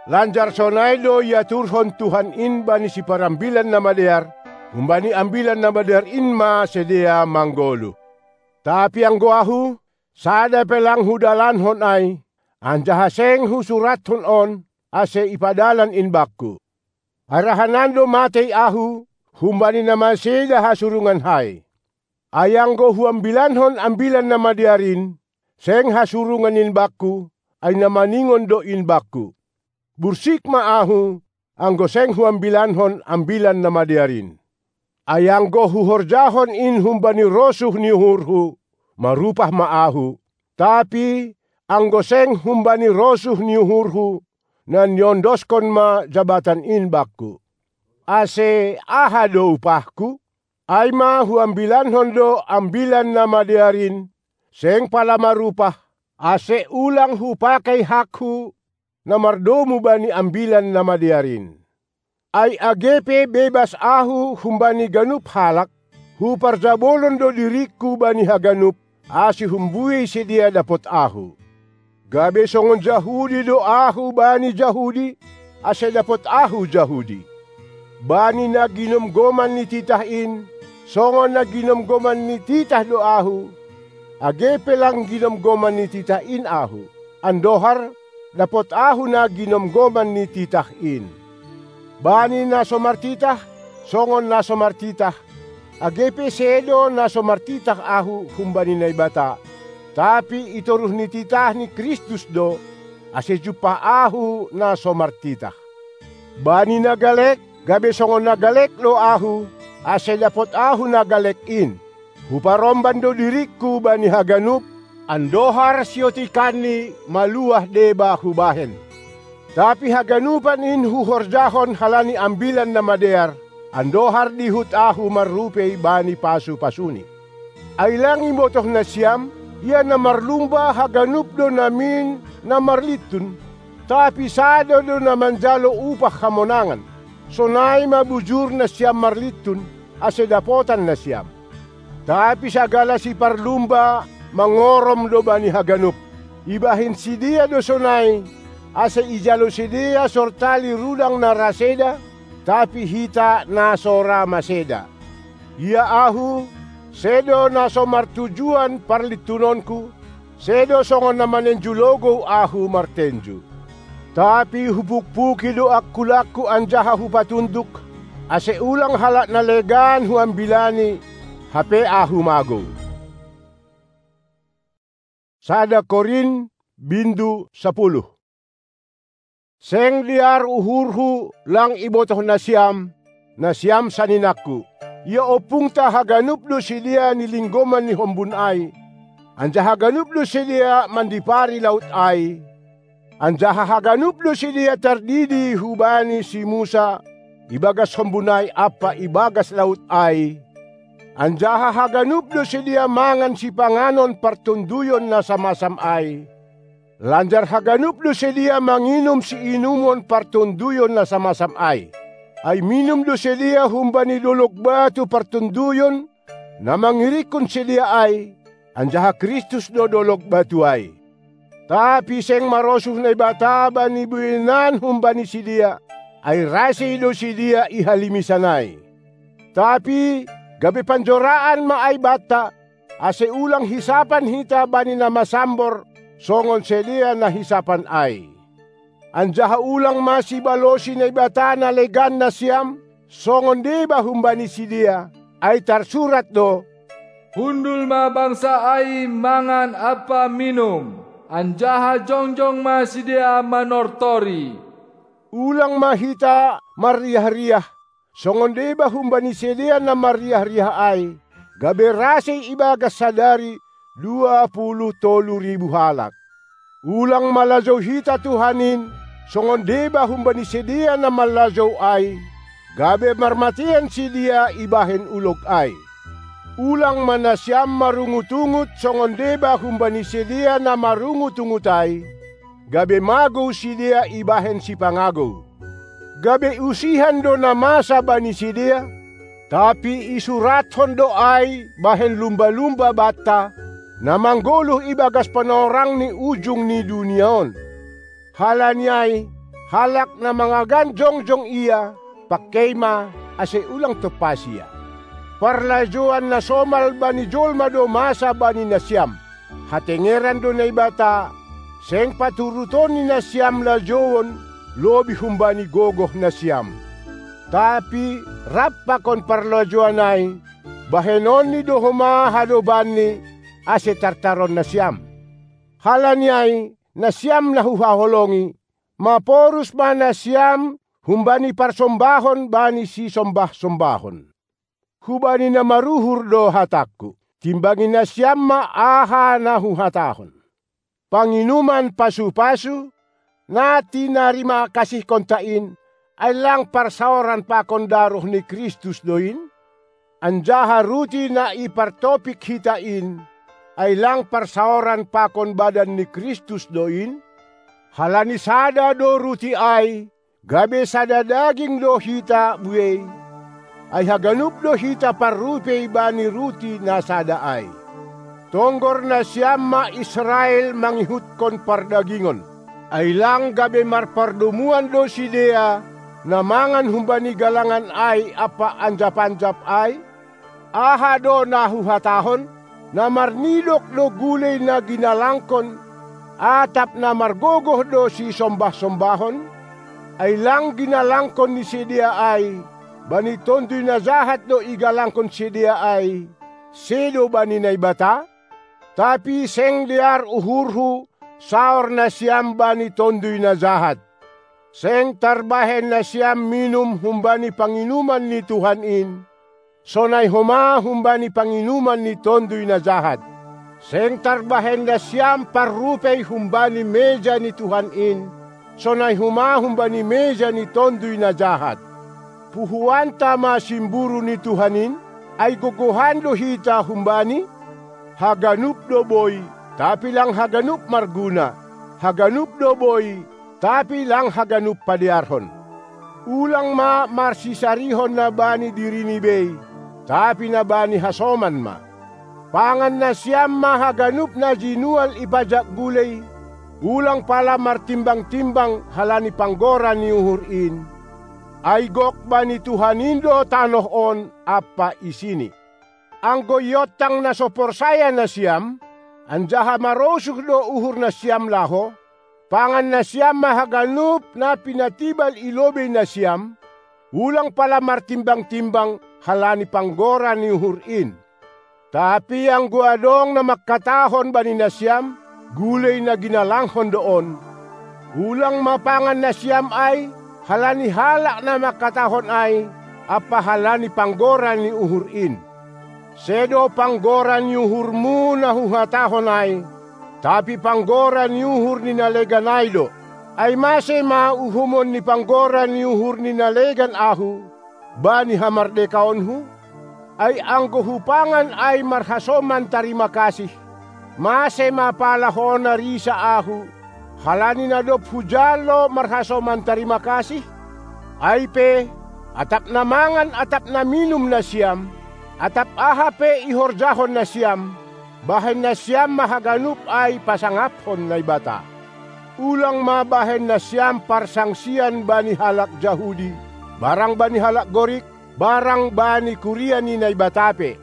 Lanjar sonai do iaturhon Tuhan in bani siparambilan na madear, humbani Ambilan Namadear in ma sidea manggoluh. Tapi anggo ahu, sada pe lang hudalankon ai, anjaha seng husurathon on, ase ipadalan in bakku. Ai ra hanan do matei ahu, humbani na maseda hasurungan hai. Ai anggo huambilankon Ambilan Namadear in, seng hasurungan in bakku, ai na maningon do in bakku. Bursik ma ahu, anggo seng huambilankon Ambilan Namadear in. Ai anggo huhorjahon in humbani rosuh ni uhurhu, marupah ma ahu. Tapi anggo seng humbani rosuh ni uhurhu, na niondoskon ma jabatan in bakku. Ase aha do upahku? Ai ma huambilankon do Ambilan Namadear in, seng pala marupah, ase ulang hupakei hakku na mardomu bani Ambilan Namadear in. Ai age pe bebas ahu humbani ganup halak, huparjabolon do diringku bani haganup, ase humbuei sidea dapot ahu. Gabe songon Jahudi do ahu bani Jahudi, ase dapot ahu Jahudi. Bani na ginomgoman ni titah in, songon na ginomgoman ni titah do ahu, age pe lang ginomgoman ni titah in ahu, andohar dapot ahu na ginomgoman ni titah in. Bani na so martitah, songon na so martitah, age pe sedo na so martitah ahu humbani Naibata, tapi i toruh ni titah ni Kristus do, ase jumpah ahu na so martitah. Bani na galek, gabe songon na galek do ahu, ase dapot ahu na galek in. Huparomban do diringku bani haganup, andohar siotikanni maluah deba hubahen. Tapi haganupan in huhorjahon halani Ambilan Namadear, andohar dihut ahu marrupei bani pasu-pasuni. Ai lang ibotoh nasiam, ia na marlumba haganup do namin na marlintun, tapi sada do na manjalo upah hamonangan. Sonai ma bujur nasiam marlintun, ase dapotan nasiam. Tapi sagala siparlumba mangorom do bani haganup. Ibahen sidea do sonai, ase ijalo sidea sortali rudang na ra seda, tapi hita na so ra maseda. Ia ahu, sedo na so martujuan parlintunonku, sedo songon na manenju logou ahu martenju. Tapi hupukpuki do angkulangku anjaha hupatunduk, ase ulang halak na legan huambilani, hape ahu magou. Sada Korint, bindu sapuluh. Seng dear uhurhu lang ibotoh nasiam, nasiam saninangku. Ia ompungta haganup do sidea nilinggoman ni hombun ai, anjaha haganup do sidea mandipari laut ai, anjaha haganup do sidea tardidi hubani si Musa, ibagas hombun ai ampa ibagas laut ai, anjaha haganup do sidea mangan sipanganon partonduyon na samasam ai. Lanjar haganup do sidea manginum siinumon partonduyon na samasam ai. Ai minum do sidea humbani dolok batu partonduyon, na mangirikkon sidea ai, anjaha Kristus do dolok batu ai. Tapi seng marosuh Naibata bani bueinan humbani sidea, ai rasei do sidea i halimisan ai. Tapi gabe panjoraan ma ai banta, ase ulang hisapan hita bani na masambor, songon sidea na hisapan ai. Anjaha ulang ma sibalosi Naibata na legan nasiam, songon deba humbani sidea, ai tarsurat do: Hundul ma bangsa ai mangan ampa minum, anjaha jongjong ma sidea manortori. Ulang ma hita marriah-riah, songon deba humbani sidea na marriah-riah ai, gabe rasei ibagas sadari dua puluh tolu ribu halak. Ulang malajou hita Tuhan in, songon deba humbani sidea na malajou ai, gabe marmateian sidea ibahen ulog ai. Ulang ma nasiam marungut-ungut songon deba humbani sidea na marungut-ungut ai, gabe magou sidea ibahen sipangagou. Gabe usihan do na masa bani sidea, tapi isurathon do ai bahen lumba-lumba banta, na manggoluh ibagas panorang ni ujung ni dunia on. Halani ai, halak na mangagan jongjong ia, pangkei ma, ase ulang tompasi ia. Parlajouan na somal bani jolma do masa bani nasiam. Hatengeran do Naibata, seng paturuton ni nasiam lajouon lobih humbani gogoh nasiam. Tapi rap pakon parlajouan ai, bahenonni do homa hadobanni, ase tartaron nasiam. Halani ai, nasiam na huhaholongi, maporus ma nasiam humbani parsombahon bani sisombah-sombahon. Hubani na maruhur do hatangku, timbangi nasiam ma aha na huhatahon. Panginuman pasu-pasu, na tinarima kasihkonta in, ai lang parsaoran pakon daroh ni Kristus do in? Anjaha ruti na ipartopik hita in, ai lang parsaoran pakon badan ni Kristus do in? Halani sada do ruti ai, gabe sada daging do hita buei, ai haganup do hita parrupei bani ruti na sada ai. Tonggor nasiam ma Israel mangihutkon pardagingon, ai lang gabe marpardomuan do sidea na mangan humbani galangan ai ampa anjap-anjap ai? Aha do na huhatahon? Na marnidok do gulei na ginalangkon, atap na margogoh do sisombah-sombahon? Ai lang ginalangkon ni sidea ai, bani Tonduy Na Jahat do igalangkon sidea ai, sedo bani Naibata? Tapi seng dear uhurhu saor nasiam bani Tonduy Na Jahat. Seng tarbahen nasiam minum humbani panginuman ni Tuhan in, sonai homa humbani panginuman ni Tonduy Na Jahat. Seng tarbahen nasiam parrupei humbani meja ni Tuhan in, sonai homa humbani meja ni Tonduy Na Jahat. Puhoanta ma simburu ni Tuhan in, ai gogohan do hita humbani? Haganup do boi, tapi lang haganup marguna, haganup do boi, tapi lang haganup padearhon. Ulang ma marsisarihon na bani dirini bei, tapi na bani hasoman ma. Pangan nasiam ma haganup na jinual i pajak gulei, ulang pala martimbang-timbang halani panggora ni uhur in. Ai gok bani Tuhan in do tanoh on ampa isini. Anggo iontang na so porsaya nasiam, anjaha marosuh do uhur nasiam laho, pangan nasiam ma haganup na pinatibal i lobei nasiam, ulang pala martimbang-timbang halani panggora ni uhur in. Tapi anggo adong na mangkatahon bani nasiam, gulei na ginalanghon do on, ulang ma pangan nasiam ai halani halak na mangkatahon ai, ampa halani panggora ni uhur in. Sedo panggora ni uhurmu na huhatahon ai, tapi panggora ni uhur ni na legan ai do. Ai mase ma uhumon ni panggora ni uhur ni na legan ahu bani hamardekaonhu? Ai anggo hupangan ai marhasoman tarima kasih, mase ma pala hona risa ahu, halani na dob hujalo marhasoman tarima kasih? Ai pe, atap na mangan atap na minum nasiam, atap aha pe ihorjahon nasiam, bahen nasiam ma haganup ai pasangaphon Naibata. Ulang ma bahen nasiam parsangsian bani halak Jahudi, barang bani halak Gorik, barang bani kuria ni Naibata pe.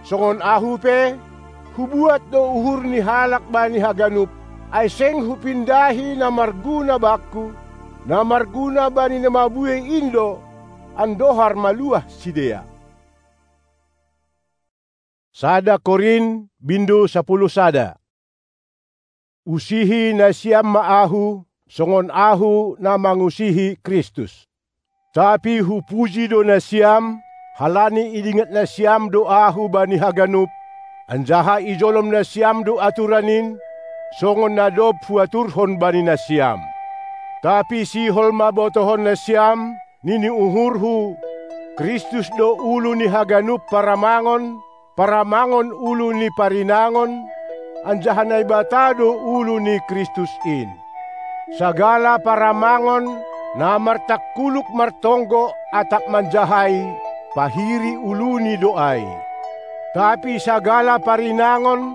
Songon ahu pe, hubuat do uhur ni halak bani haganup, ai seng hupindahi na marguna bakku, na marguna bani na mabuei in do, andohar maluah sidea. Sada Korin, bindu sapuluh sada. Usihi nasiam ma ahu, songon ahu na mangusihi Kristus. Tapi hupuji do nasiam, halani idingat nasiam do ahu bani haganup, anjaha ijolom nasiam do aturan in, songon na dob huaturhon bani nasiam. Tapi sihol ma botohon nasiam, nini uhurhu, Kristus do ulu ni haganup paramangon, paramangon ulu ni parinangon, anjaha Naibata do ulu ni Kristus in. Sagala paramangon na martangkuluk martonggo atap manjahai, pahiri uluni do ai. Tapi sagala parinangon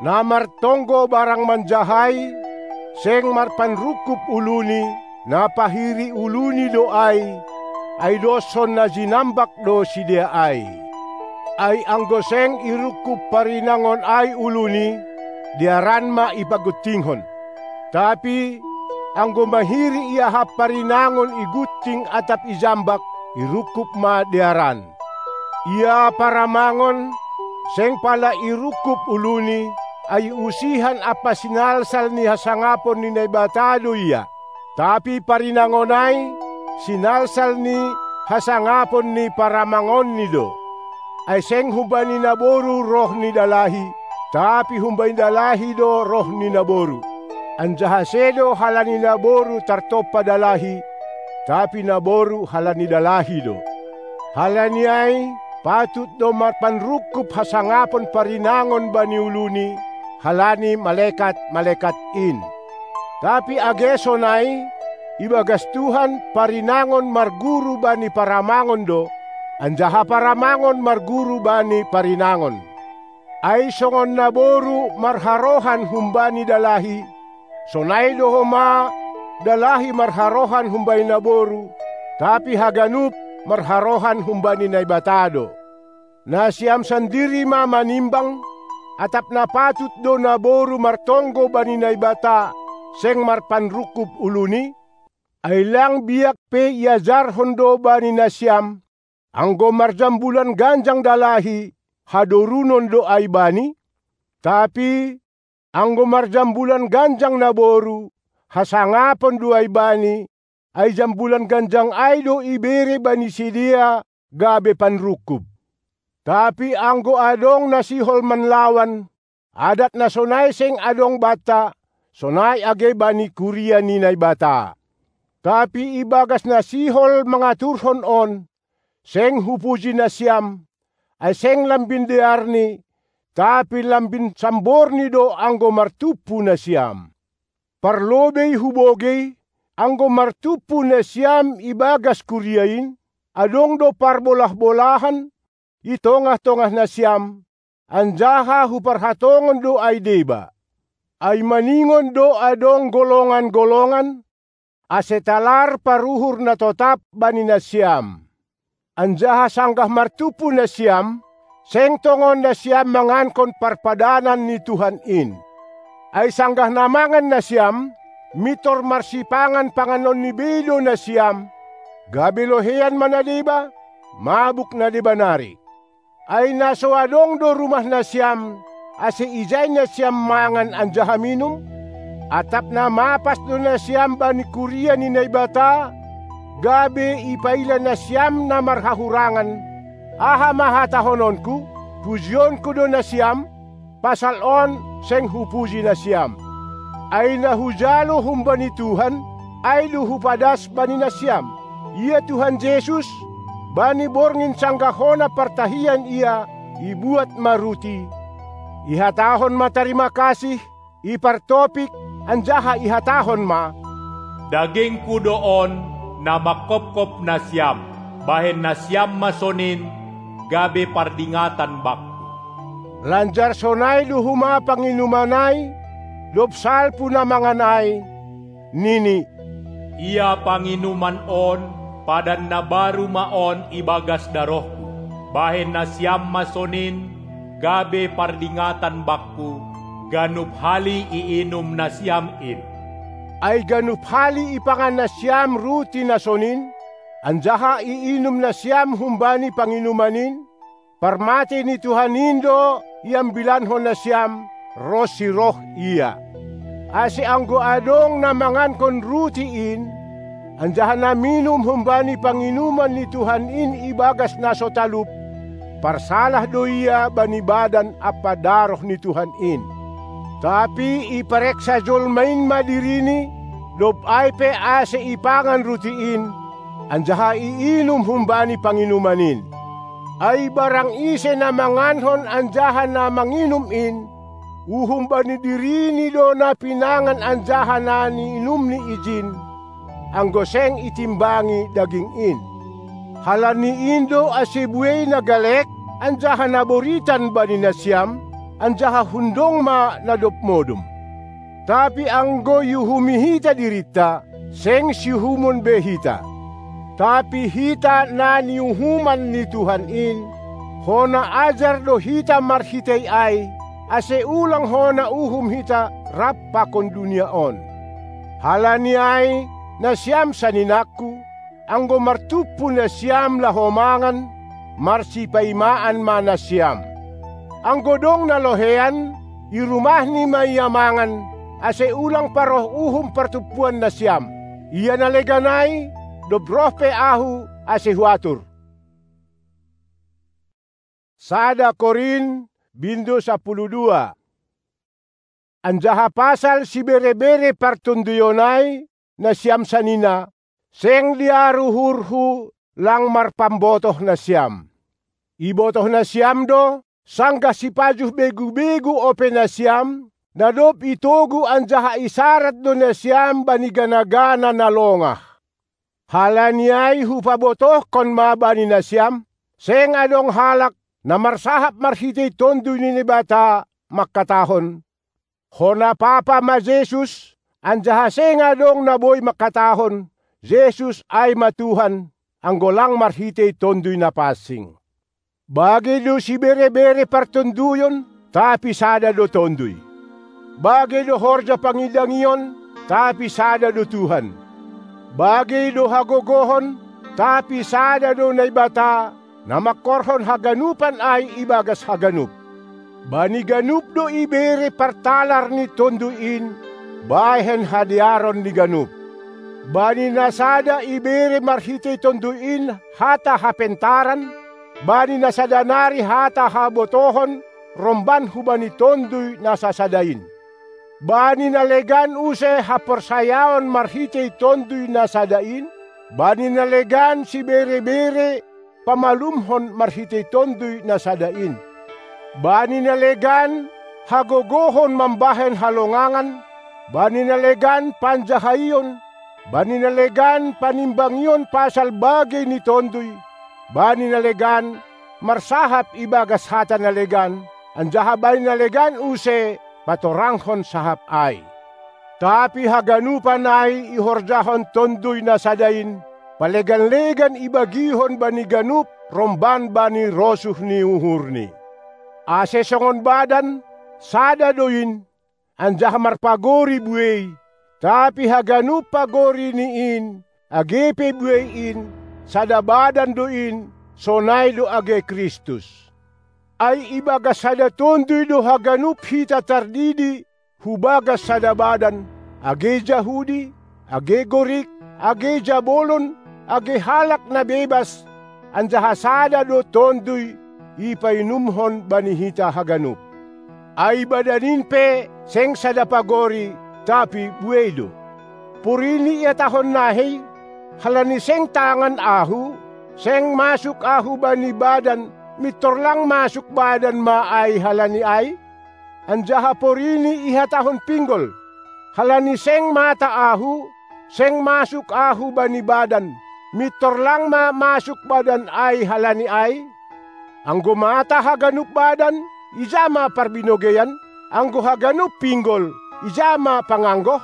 na martonggo barang manjahai, seng marpanrungkub uluni, na pahiri uluni do ai, ai doshon na jinambak do sidea ai. Ai anggo seng irungkub parinangon ai uluni, dearan ma ipaguntinghon. Tapi anggo mahiri iahap parinangon igunting atap ijambak, irungkub ma dearan. Ia paramangon, seng pala irungkub uluni, ai usihan ampa sinalsal ni hasangapon ni Naibata do ia. Tapi parinangon ai, sinalsal ni hasangapon ni paramangonni do. Ai seng humbani naboru roh ni dalahi, tapi humbani dalahi do roh ni naboru. Anjaha sedo halani naboru tartompa dalahi, tapi naboru halani dalahi do. Halani ai, patut do marpanrungkub hasangapon parinangon bani uluni, halani malekat-malekat in. Tapi age sonai, ibagas Tuhan parinangon marguru bani paramangon do, anjaha paramangon marguru bani parinangon. Ai songon naboru marharohan humbani dalahi, sonai do homa dalahi marharohan humbani naboru, tapi haganup marharohan humbani Naibata do. Nasiam sandiri ma manimbang, atap na patut do naboru martonggo bani Naibata, seng marpanrungkub uluni? Ai lang biak pe iajarhon do bani nasiam, anggo marjambulan ganjang dalahi, hadorunon do ai bani? Tapi anggo marjambulan ganjang naboru, hasangapon do ai bani, ai jambulan ganjang ai do ibere bani sidea gabe panrungkub. Tapi anggo adong na sihol manlawan, adat na sonai seng adong banta, sonai age bani kuria ni Naibata. Tapi ibagas na sihol mangaturhon on, seng hupuji nasiam, ai seng lambin dearni, tapi lambin samborni do anggo martumpu nasiam. Parlobei hubogei, anggo martumpu nasiam ibagas kuria in, adong do parbolah-bolahan i tongah-tongah nasiam, anjaha huparhatongon do ai deba. Ai maningon do adong golongan-golongan, ase talar paruhur na totap bani nasiam. Anjaha sanggah martumpu nasiam, seng tongon nasiam mangankon parpadanan ni Tuhan in. Ai sanggah na mangan nasiam, mintor marsipangan panganonni bei do nasiam, gabe loheian ma na deba, mabuk na deba nari. Ai na so adong do rumah nasiam, ase ijai nasiam mangan anjaha minum? Atap na mapas do nasiam bani kuria ni Naibata, gabe ipaila nasiam na marhahurangan? Aha ma hatahononku? Pujionku do nasiam? Pasal on seng hupuji nasiam. Ai na hujalo humbani Tuhan, ai do hupadas bani nasiam. Ia Tuhan Jesus, bani borngin sanggah hona partahian ia, ibuat ma ruti, ihatahon ma tarima kasih, ipartopik, anjaha ihatahon ma: Dagingku do on, na mangkopkop nasiam, bahen nasiam ma sonin, gabe pardingatan bakku. Lanjar sonai do homa panginuman ai, dob salpu na mangan ai, nini: Ia panginuman on, padan na baru ma on ibagas darohku, bahen nasiam ma sonin, gabe pardingatan bakku, ganup hali iinum nasiam in. Ai ganup hali ipangan nasiam ruti na sonin, anjaha iinum nasiam humbani panginuman in, parmatei ni Tuhan in do iambilankon nasiam, ronsi roh Ia. Ase anggo adong na mangankon ruti in, anjaha na minum humbani panginuman ni Tuhan in ibagas na so talup, parsalah do ia bani badan ampa daroh ni Tuhan in. Tapi ipareksa jolma in ma dirini, dob ai pe ase ipangan ruti in, anjaha iinum humbani panginuman in. Ai barang ise na mangankon anjaha na manginum in, uhum bani dirini do na pinangan anjaha na niinumni ijin, anggo seng itimbangi daging in. Halani in do ase buei na galek anjaha na boritan bani nasiam, anjaha hundong ma na dob modom. Tapi anggo iuhumi hita dirinta, seng siuhumon be hita. Tapi hita na niuhuman ni Tuhan in, hona ajar do hita marhitei ai, ase ulang hona uhum hita rap pakon dunia on. Halani ai, nasiam saninangku, anggo martumpu nasiam laho mangan, marsipaimaan ma nasiam. Anggo dong na lohean, i rumahni ma ia mangan, ase ulang paroh uhum partumpuan nasiam. Ia na legan ai, dob roh pe ahu, ase huatur. Sada Korin, bindu sapuluh dua. Anjaha pasal siberebere partonduyon ai, nasiam sanina, seng diaru uhurhu lang marpambotoh nasiam. Ibotoh nasiam do, sanggah sipajuh begu-begu ope nasiam, na dob itogu anjaha isarat do nasiam bani gana-gana na longah. Halani ai hupabotohkon ma bani nasiam, seng adong halak na marsahap marhitei Tonduy ni Naibata mangkatahon: Hona papa ma Jesus, anjaha seng adong na boi mangkatahon: Jesus ai ma Tuhan, anggo lang marhitei Tonduy Na Pansing. Bage do siberebere partonduyon, tapi sada do Tonduy. Bage do horja pangidangion, tapi sada do Tuhan. Bage do hagogohon, tapi sada do Naibata, na mangkorhon haganupan ai ibagas haganup. Bani ganup do ibere partalar ni Tonduy in, bahen hadearon ni ganup. Bani na sada ibere marhitei Tonduy in hata hapentaran, bani na sada nari hata habotohon romban hubani Tonduy na sasada in. Bani na legan use haporsayaon marhitei Tonduy na sada in, bani na legan siberebere pamalumhon marhitei Tonduy na sada in. Bani na legan hagogohon mambahen halongangan, bani na legan panjahaion, bani na legan panimbangion pasal bage ni Tonduy, bani na legan marsahap ibagas hata na legan, anjaha bani na legan use patoranghon sahap ai. Tapi haganupan ai ihorjahon Tonduy na sada in, palegan-legan ibagihon bani ganup romban bani rosuh ni uhurni. Ase songon badan, sada do in, anjaha marpagori buei, tapi haganup pagori ni in, age pe buei in, sada badan do in, sonai do age Kristus. Ai ibagas sada Tonduy do haganup hita tardidi hubagas sada badan, age Jahudi, age Gorik, age jabolon, age halak na bebas, anjaha sada do Tonduy ipainumhon bani hita haganup. Ai badan in pe seng sada pagori, tapi buei do. Porini ihatahon nahei, halani seng tangan ahu, seng masuk ahu bani badan, mintor lang masuk badan ma ai halani ai? Anjaha porini ihatahon pinggol, halani seng mata ahu, seng masuk ahu bani badan, mintor lang ma masuk badan ai halani ai? Anggo mata haganup badan, ija ma parbinogeian? Anggo haganup pinggol, ija ma panganggoh?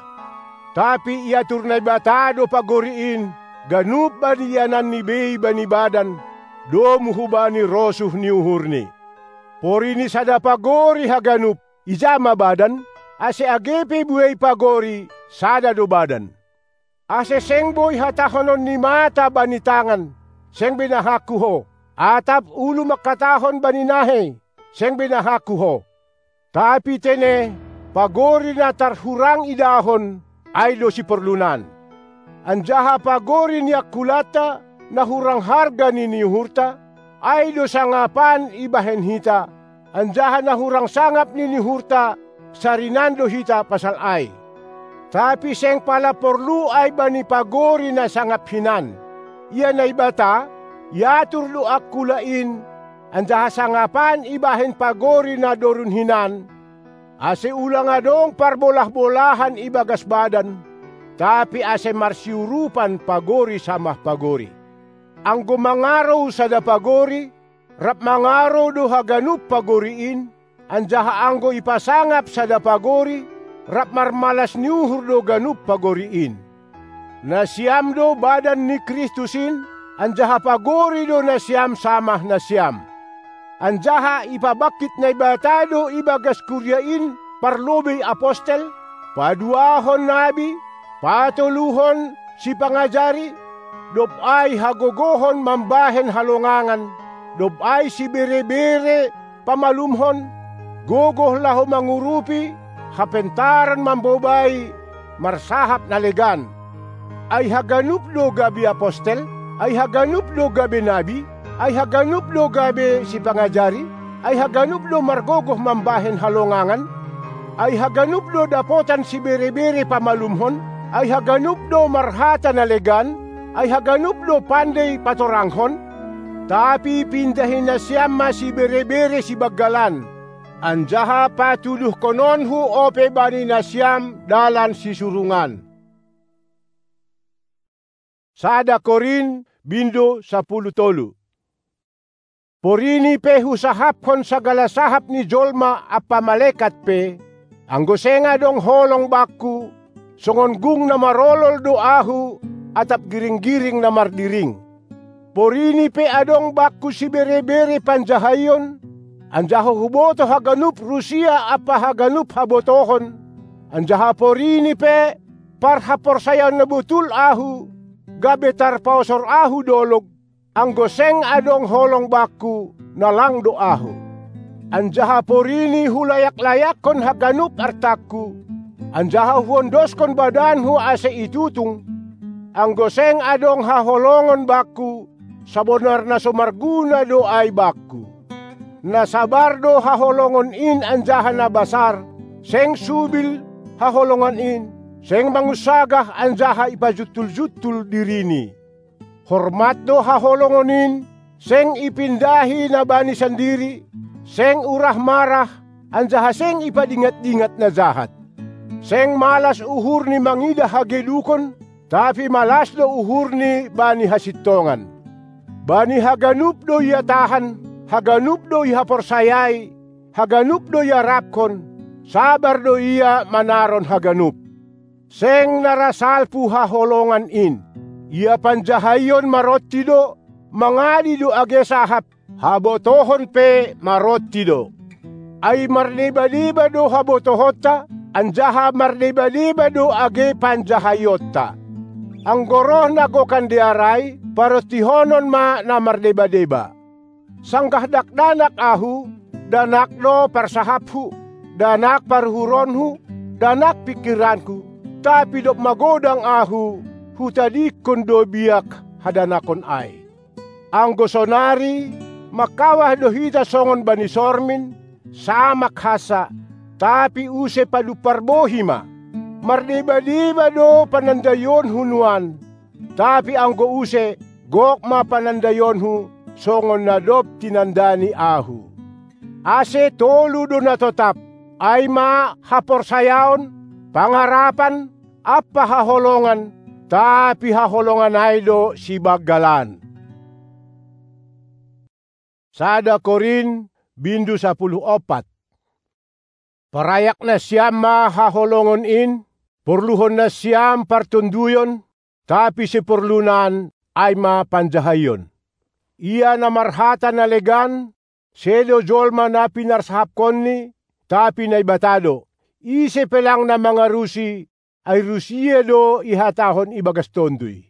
Tapi iatur Naibata do pagori in, ganup bani iananni bei bani badan, domu hubani rosuh ni uhurni. Porini sada pagori haganup, ija ma badan? Ase age pe buei pagori, sada do badan. Ase seng boi hatahonon ni mata bani tangan: Seng be nahangku ho! Atap ulu mangkatahon bani nahei: Seng be nahangku ho! Tapi tene, pagori na tarhurang idahon, ai do siporlunan. Anjaha pagori ni angkulanta, na hurang harga ni niuhurta, ai do sangapan ibahen hita, anjaha na hurang sangap ni niuhurta, sarinan do hita pasal ai. Tapi seng pala porlu ai bani pagori na sangap hinan. Ia Naibata, iatur do angkula in, anjaha sangapan ibahen pagori na dorun hinan, ase ulang adong parbolah-bolahan ibagas badan, tapi ase marsiurupan pagori samah pagori. Anggo mangarou sada pagori, rap mangarou do haganup pagori in, anjaha anggo ipasangap sada pagori, rap marmalas ni uhur do ganup pagori in. Nasiam do badan ni Kristus in, anjaha pagori do nasiam samah nasiam. Anjaha ipabangkit Naibata do ibagas kuria in parlobei apostel, paduahon nabi, patoluhon sipangajari, dob ai hagogohon mambahen halongangan, dob ai sibere-bere pamalumhon, gogoh laho mangurupi, hapentaran mambobai, marsahap na legan. Ai haganup do gabe apostel? Ai haganup do gabe nabi? Ai haganup do gabe sipangajari? Ai haganup do margogoh mambahen halongangan? Ai haganup do dapotan sibere-bere pamalumhon? Ai haganup do marhata na legan? Ai haganup do pandei patoranghon? Tapi pindahi nasiam ma sibere-bere sibanggalan, anjaha patuduhkononhu ope bani nasiam dalan sisurungan. Sada Korin, bindu sapuluh tolu. Porini pe husahapkon sagala sahap ni jolma ampa malekat pe, anggo seng adong holong bangku, songon gung na marolol do ahu, atap giring-giring na mardiring. Porini pe adong bangku sibere-bere panjahaion, anjaha hubotoh haganup rusia ampa haganup habotohon, anjaha porini pe parhaporsayaon na botul ahu, gabe tarpaosor ahu dolog, anggo seng adong holong bangku, na lang do ahu. Anjaha porini hulayak-layakkon haganup artangku, anjaha huondoskon badanhu ase itutung, anggo seng adong haholongon bangku, sabonar na so marguna do ai bangku. Na sabar do haholongon in anjaha na basar, seng subil haholongan in, seng mangunsagah anjaha ipajuntul-juntul dirini. Hormat do haholongon in, seng ipindahi na bani sandiri, seng urah marah, anjaha seng ipadingat-dingat na jahat. Seng malas uhurni mangidah hagedukon, tapi malas do uhurni bani hasintongan. Bani haganup do ia tahan, haganup do ia haporsayai, haganup do ia rapkon, sabar do ia manaron haganup. Seng na ra salpu haholongan in. Ia panjahaion maronti do, mangadi do age sahap, habotohon pe maronti do. Ai mardeba-deba do habotohonta, anjaha mardeba-deba do age panjahaionta. Anggo roh na gokan dear ai, parontihonon ma na mardeba-deba. Sanggah dakdanak ahu, danak do parsahaphu, danak paruhuronhu, danak pingkiranku, tapi dob magodang ahu, hutadingkon do biak hadanakon ai. Anggo sonari, mangkawah do hita songon bani sormin, samak hansa, tapi use padumpar bohi ma. Mardeba-deba do panandaionhu nuan, tapi anggo use, gok ma panandaionhu, songon na dob tinandani ahu. Ase tolu do na totap, ai ma haporsayaon, pangarapan, ampa haholongan, tapi haholongan ai do sibanggalan. Sada Korin, bindu sapuluh ompat. Parayak nasiam ma haholongon in, porluhon nasiam partonduyon, tapi siporlunan ai ma panjahaion. Ia na marhata na legan, sedo jolma na pinarsahapkonni, tapi Naibata do. Ise pe lang na mangarusi, ai rusia do ihatahon ibagas Tonduy.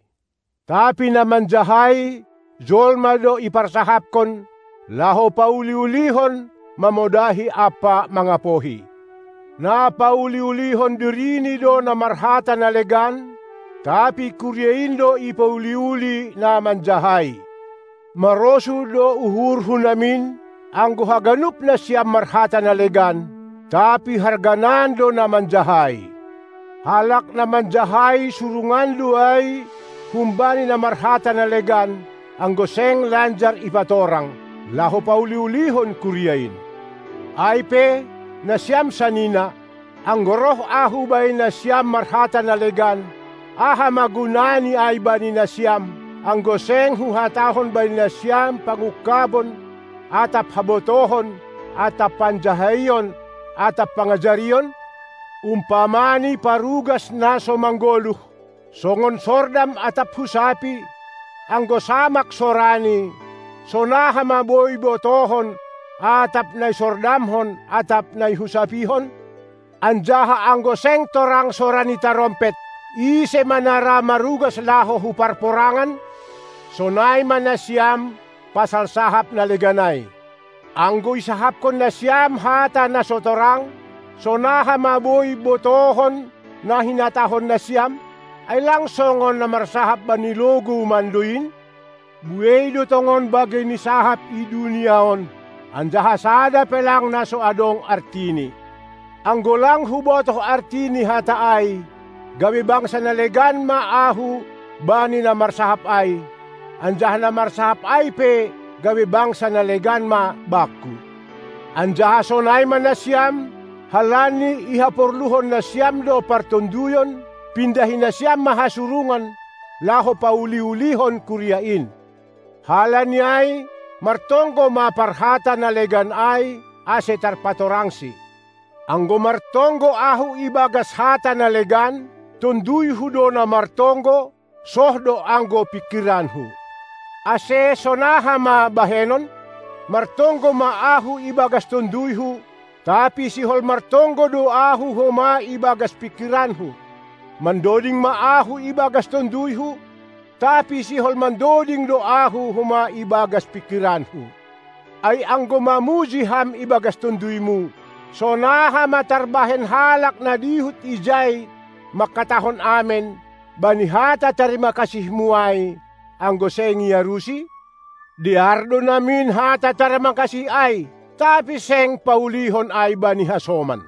Tapi na manjahai, jolma do iparsahapkon, laho pauli-ulihon, mamodahi ampa mangapohi. Na pauli-ulihon dirini do na marhata na legan, tapi kuria in do ipauli-uli na manjahai. Marosuh do uhurhu namin, anggo haganup nasiam marhata na legan, tapi harganan do na manjahai. Halak na manjahai surungan do ai humbani na marhata na legan, anggo seng lanjar ipatorang, laho pauli-ulihon kuria in. Ai pe, Nasiam sanina, anggo roh ahu bani nasiam marhata na legan, aha ma gunani ai bani nasiam, anggo seng huhatahon bani nasiam pangungkabon, atap habotohon, atap panjahaion, atap pangajarion? Umpamani parugas na so manggoluh, songon sordam atap husapi, anggo samak sorani, sonaha ma boi botohon, atap na isordamhon atap na ihusapihon? Anjaha anggo seng torang sora ni tarompet, ise ma na ra marugas laho hu parporangan? Sonai ma nasiam pasal sahap na legan ai. Anggo isahapkon nasiam hata na so torang, sonaha ma boi botohon na hinatahon nasiam? Ai lang songon na marsahap bani logou mando in? Buei do tongon bagei ni sahap i dunia on, anjaha sada pe lang na so adong artini. Anggo lang hubotoh arti ni hata ai, gabe bangsa na legan ma ahu bani na marsahap ai, anjaha na marsahap ai pe gabe bangsa na legan ma bangku. Anjaha sonai ma nasiam, halani ihaporluhon nasiam do partonduyon, pindahi nasiam ma hasurungan, laho pauli-ulihon kuria in. Halani ai, martonggo ma parhata na legan ai, ase tarpatorangsi. Anggo martonggo ahu ibagas hata na legan, tonduyhu do na martonggo, soh do anggo pingkiranhu. Ase sonaha ma bahenon? Martonggo ma ahu ibagas tonduyhu, tapi sihol martonggo do ahu homa ibagas pingkiranhu. Mandoding ma ahu ibagas tonduyhu, tapi sihol mandoding do ahu homa ibagas pingkiranhu. Ai anggo mamuji ham ibagas tonduymu, sonaha ma tarbahen halak na dihut ijai mangkatahon amen bani hata tarima kasihmu ai, anggo seng iarusi? Dear do namin hata tarima kasih ai, tapi seng paulihon ai bani hasoman.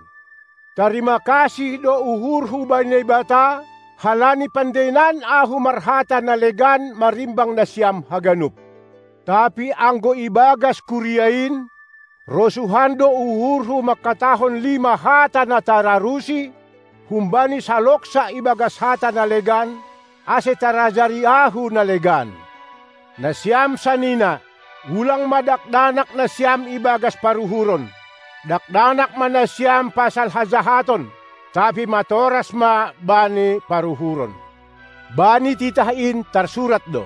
Tarima kasih do uhurhu bani Naibata, halani pandainan ahu marhata na legan marimbang nasiam haganup. Tapi anggo ibagas kuria in, rosuhan do uhurhu mangkatahon lima hata na tararusi, humbani saloksa ibagas hata na legan, ase tarajari ahu na legan. Nasiam sanina, ulang ma dakdanak nasiam ibagas paruhuron. Dakdanak ma nasiam pasal hajahaton, tapi matoras ma bani paruhuron. Bani titah in tarsurat do: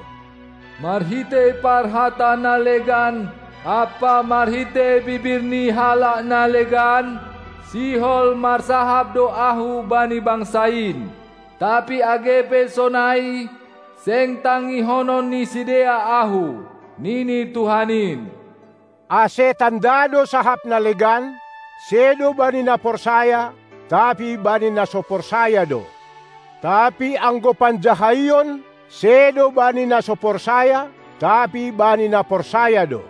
Marhitei parhata na legan ampa marhitei bibir ni halak na legan, sihol marsahap do ahu bani bangsa in. Tapi age pe sonai, seng tangihonon ni sidea ahu, nini Tuhan in. Ase tanda do sahap na legan, sedo bani na porsaya, tapi bani na so porsaya do. Tapi anggo panjahaion, sedo bani na so porsaya, tapi bani na porsaya do.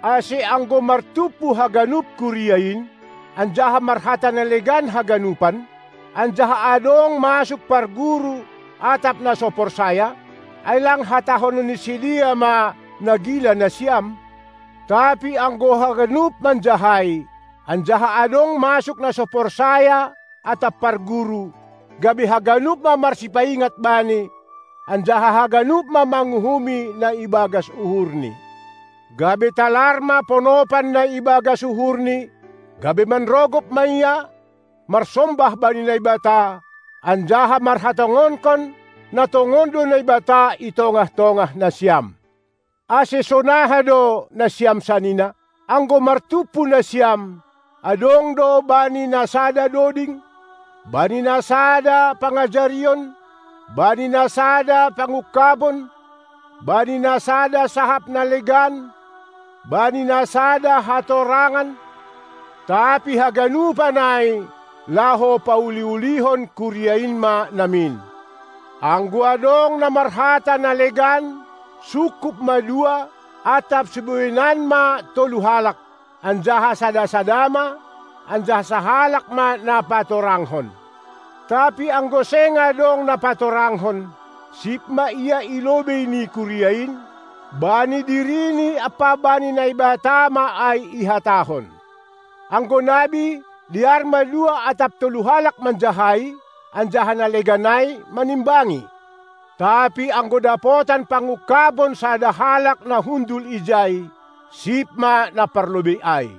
Ase anggo martumpu haganup kuria in, anjaha marhata na legan haganupan, anjaha adong masuk parguru atap na so porsaya, ai lang hatahonon ni sidea ma na gila nasiam? Tapi anggo haganup manjahai, anjaha adong masuk na so porsaya atap parguru, gabe haganup ma marsipaingat bani, anjaha haganup ma manguhumi na ibagas uhurni. Gabe talar ma ponopan na ibagas uhurni, gabe manrogop ma ia, marsombah bani Naibata, anjaha marhatongonkon, na tongon do Naibata i tongah-tongah nasiam. Ase sonaha do nasiam sanina, anggo martumpu nasiam, adong do bani na sada doding, bani na sada pangajarion, bani na sada pangungkabon, bani na sada sahap na legan, bani na sada hatorangan, tapi haganupan ai laho pauli-ulihon kuria in ma namin. Anggo adong na marhata na legan, sungkup ma dua, atap siboinan ma tolu halak, anjaha sada-sada ma, anjaha sahalak ma na patoranghon. Tapi anggo seng adong na patoranghon, sip ma ia i lobei ni kuria in, bani dirini ampa bani Naibata ma ai ihatahon. Anggo nabi, Dear malua atap tolu halak manjahai, anjaha na legan ai manimbangi. Tapi anggo dapotan pangungkabon sada halak na hundul ijai, sip ma na parlobei ai.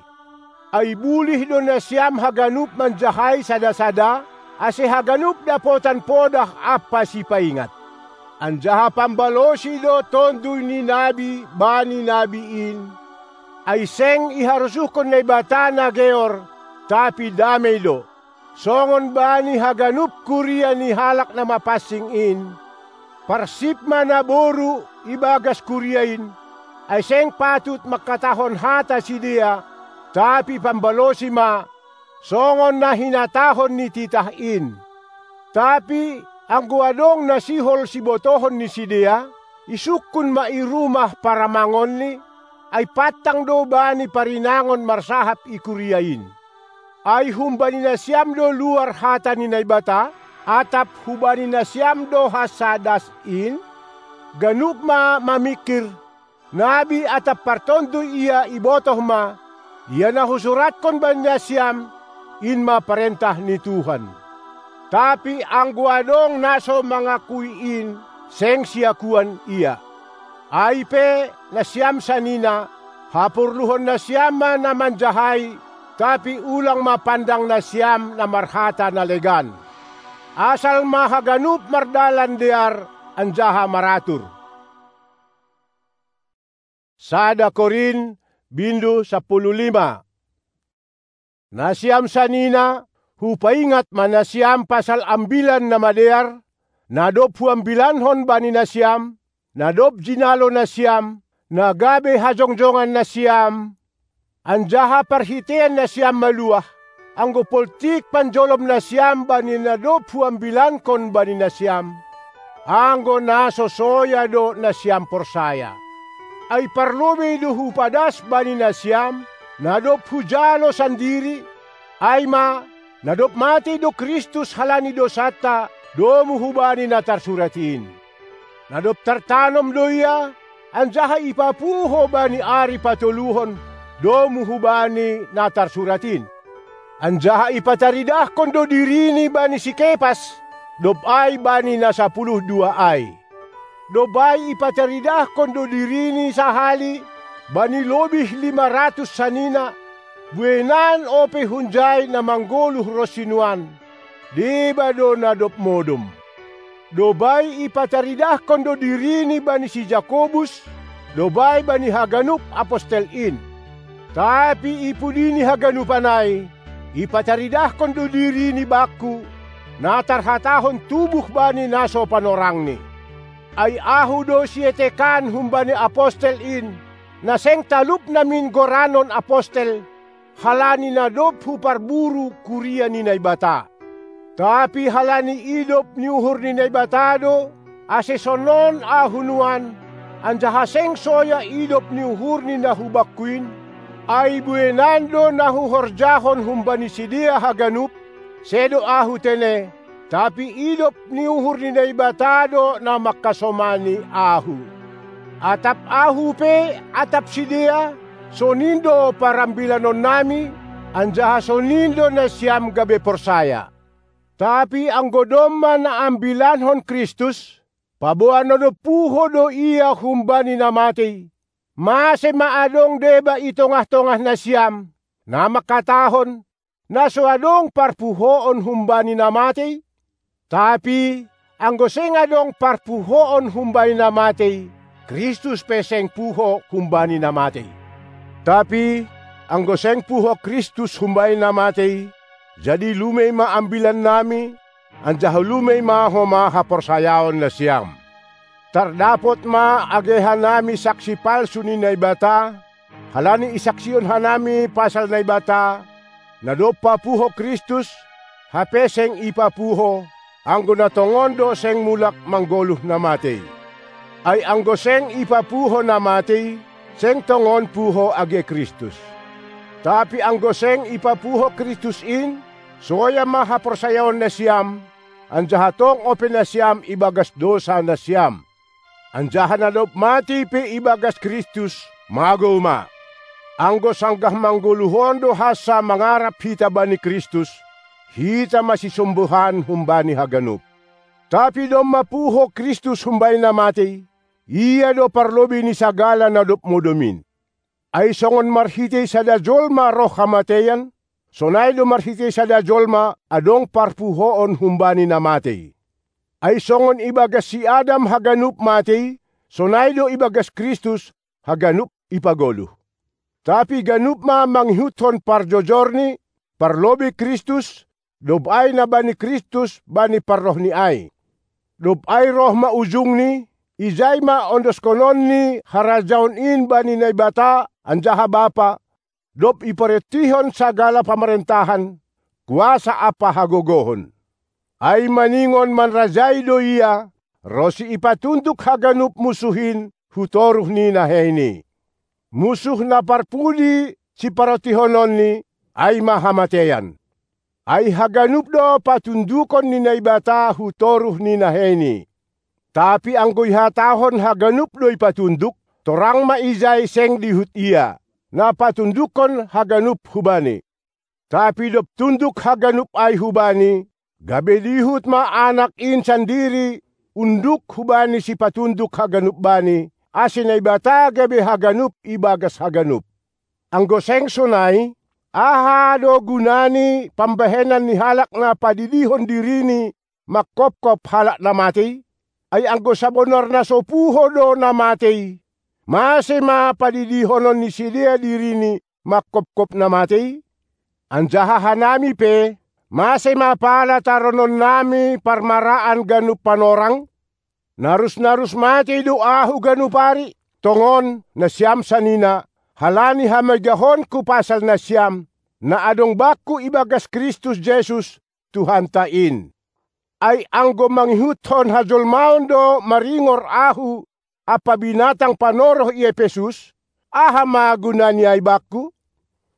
Ai bulih do nasiam haganup manjahai sada-sada, ase haganup dapotan podah ampa sipaingat. Anjaha pambalosi do Tonduy ni nabi bani nabi in, ai seng iharosuhkon Naibata na geor, tapi damei do. Songon bani haganup kuria ni halak na mapansing in, parsip ma naboru ibagas kuria in, ai seng patut mangkatahon hata sidea, tapi pambalosi ma, songon na hinatahon ni titah in. Tapi anggo adong na sihol sibotohon ni sidea, isungkun ma i rumah paramangonni, ai pantang do bani parinangon marsahap i kuria in. Ai humbani nasiam do luar hata ni Naibata, atap hubani nasiam do hansa das in? Ganup ma mamingkir, nabi atap partonduy ia ibotoh ma, ia na husuratkon bani nasiam, in ma parentah ni Tuhan. Tapi anggo adong na so mangakui in, seng siakuan ia. Ai pe, nasiam sanina, haporluhon nasiam ma na manjahai, tapi ulang ma pandang nasiam na marhata na legan. Asal ma haganup mardalan dear anjaha maratur. Sada Korin, bindu sampulu lima. Nasiam sanina, hupaingat ma nasiam pasal ambilan na madear, na dob huambilankon bani nasiam, na dob jinalo nasiam, na gabe hajongjongan nasiam, anjaha parhitean nasiam maluah, anggo poltik panjolom nasiam bani na dob huambilankon bani nasiam, anggo na so soya do nasiam porsaya. Ai parlobei do hupadas bani nasiam, na dob hujalo sandiri, ai ma, na dob matei do Kristus halani dosanta, domu hubani na tarsurat in. Na dob tartanom do ia, anjaha ipapuho bani ari patoluhon, domu hubani na tarsurat in. Anjaha ipataridahkon do dirini bani si Kepas, dob ai bani na sapuluh dua ai. Dob ai ipataridahkon do dirini sahali bani lobih lima ratus sanina, buenan ope hunjai na manggoluh ronsi nuan, deba do na dob modom. Dob ai ipataridahkon do dirini bani si Jakobus, dob ai bani haganup apostel in. Tapi i pudi ni haganupan ai, ipataridahkon do dirini bakku, na tarhatahon tubuh bani na so panorangni. Ai ahu do sietekan humbani apostel in, na seng talup namin goranon apostel, halani na dob huparburu kuria ni Naibata. Tapi halani idop ni uhur ni Naibata do, ase sonon ahu nuan, anjaha seng soya idop ni uhur ni na hubakku in, ai buenan do na huhorjahon humbani sidea haganup, sedo ahu tene, tapi idop ni uhur ni Naibata do na mangkasomani ahu. Atap ahu pe, atap sidea, sonin do parambilanonnami, anjaha sonin do nasiam gabe porsaya. Tapi anggo domma na ambilankon Kristus, paboa na dob puho do ia humbani na matei, mase ma adong deba i tongah-tongah nasiam, na mangkatahon, na so adong parpuhoon humbani na matei? Tapi anggo seng adong parpuhoon humbani na matei, Kristus pe seng puho humbani na matei. Tapi anggo seng puho Kristus humbani na matei, jadi lumei ma ambilannami, anjaha lumei ma homa haporsayaon nasiam. Tardapot ma age hanami saksi palsu ni Naibata, halani isaksihon hanami pasal Naibata, na dob papuho Kristus, hape seng ipapuho, anggo na tongon do seng mulak manggoluh na matei. Ai anggo seng ipapuho na matei, seng tongon puho age Kristus. Tapi anggo seng ipapuho Kristus in, soya ma haporsayaon nasiam, anjaha tong ope nasiam ibagas dosa nasiam. Anjaha na dob matei pe ibagas Kristus, magou ma. Anggo sanggah manggoluh on do hansa mangarap hita bani Kristus, hita ma sisombuhan humbani haganup. Tapi domma puho Kristus humbani na matei, Ia do parlobei ni sagala na dob modom in. Ai songon marhitei sada jolma roh hamateian, sonai do marhitei sada jolma adong parpuhoon humbani na matei. Ai songon ibagas si Adam haganup matei, sonai do ibagas Kristus haganup ipagoluh. Tapi ganup ma mangihuthon parjojorni, parlobei Kristus, dob ai na bani Kristus bani parrohni ai. Dob ai roh ma ujungni, ijai ma ondoskononni harajaon in bani Naibata anjaha Bapa, dob iparentihon sagala pamarentahan, kuasa ampa hagogohon. Ai maningon manrajai do Ia, ronsi ipatunduk haganup musuh in hu toruh ni naheini. Musuh na parpudi siparentihononni, ai ma hamateian. Ai haganup do patundukon ni Naibata hu toruh ni naheini. Tapi anggo ihatahon haganup do ipatunduk, torang ma ijai seng dihut Ia, na patundukkon haganup hu Bani. Tapi dob tunduk haganup ai hu Bani, gabe dihut ma Anak in sandiri unduk hubani sipatunduk haganup Bani, ase Naibata gabe haganup ibagas haganup. Anggo seng sonai, aha do gunani pambahenan ni halak na padidihon dirini mangkopkop halak na matei? Ai anggo sabonar na so puho do na matei, mase ma padidihonon ni sidea dirini mangkopkop na matei? Anjaha hanami pe, mase ma pala tarononnami parmaraan ganup panorang? Narusnarus matei do ahu ganup ari, tongon, nasiam sanina, halani hamegahonku pasal nasiam, na adong bakku ibagas Kristus Jesus, Tuhanta in. Ai anggo mangihuthon hajolmaon do maringor ahu ampa binatang panoroh i Epesus, aha ma gunani ai bakku?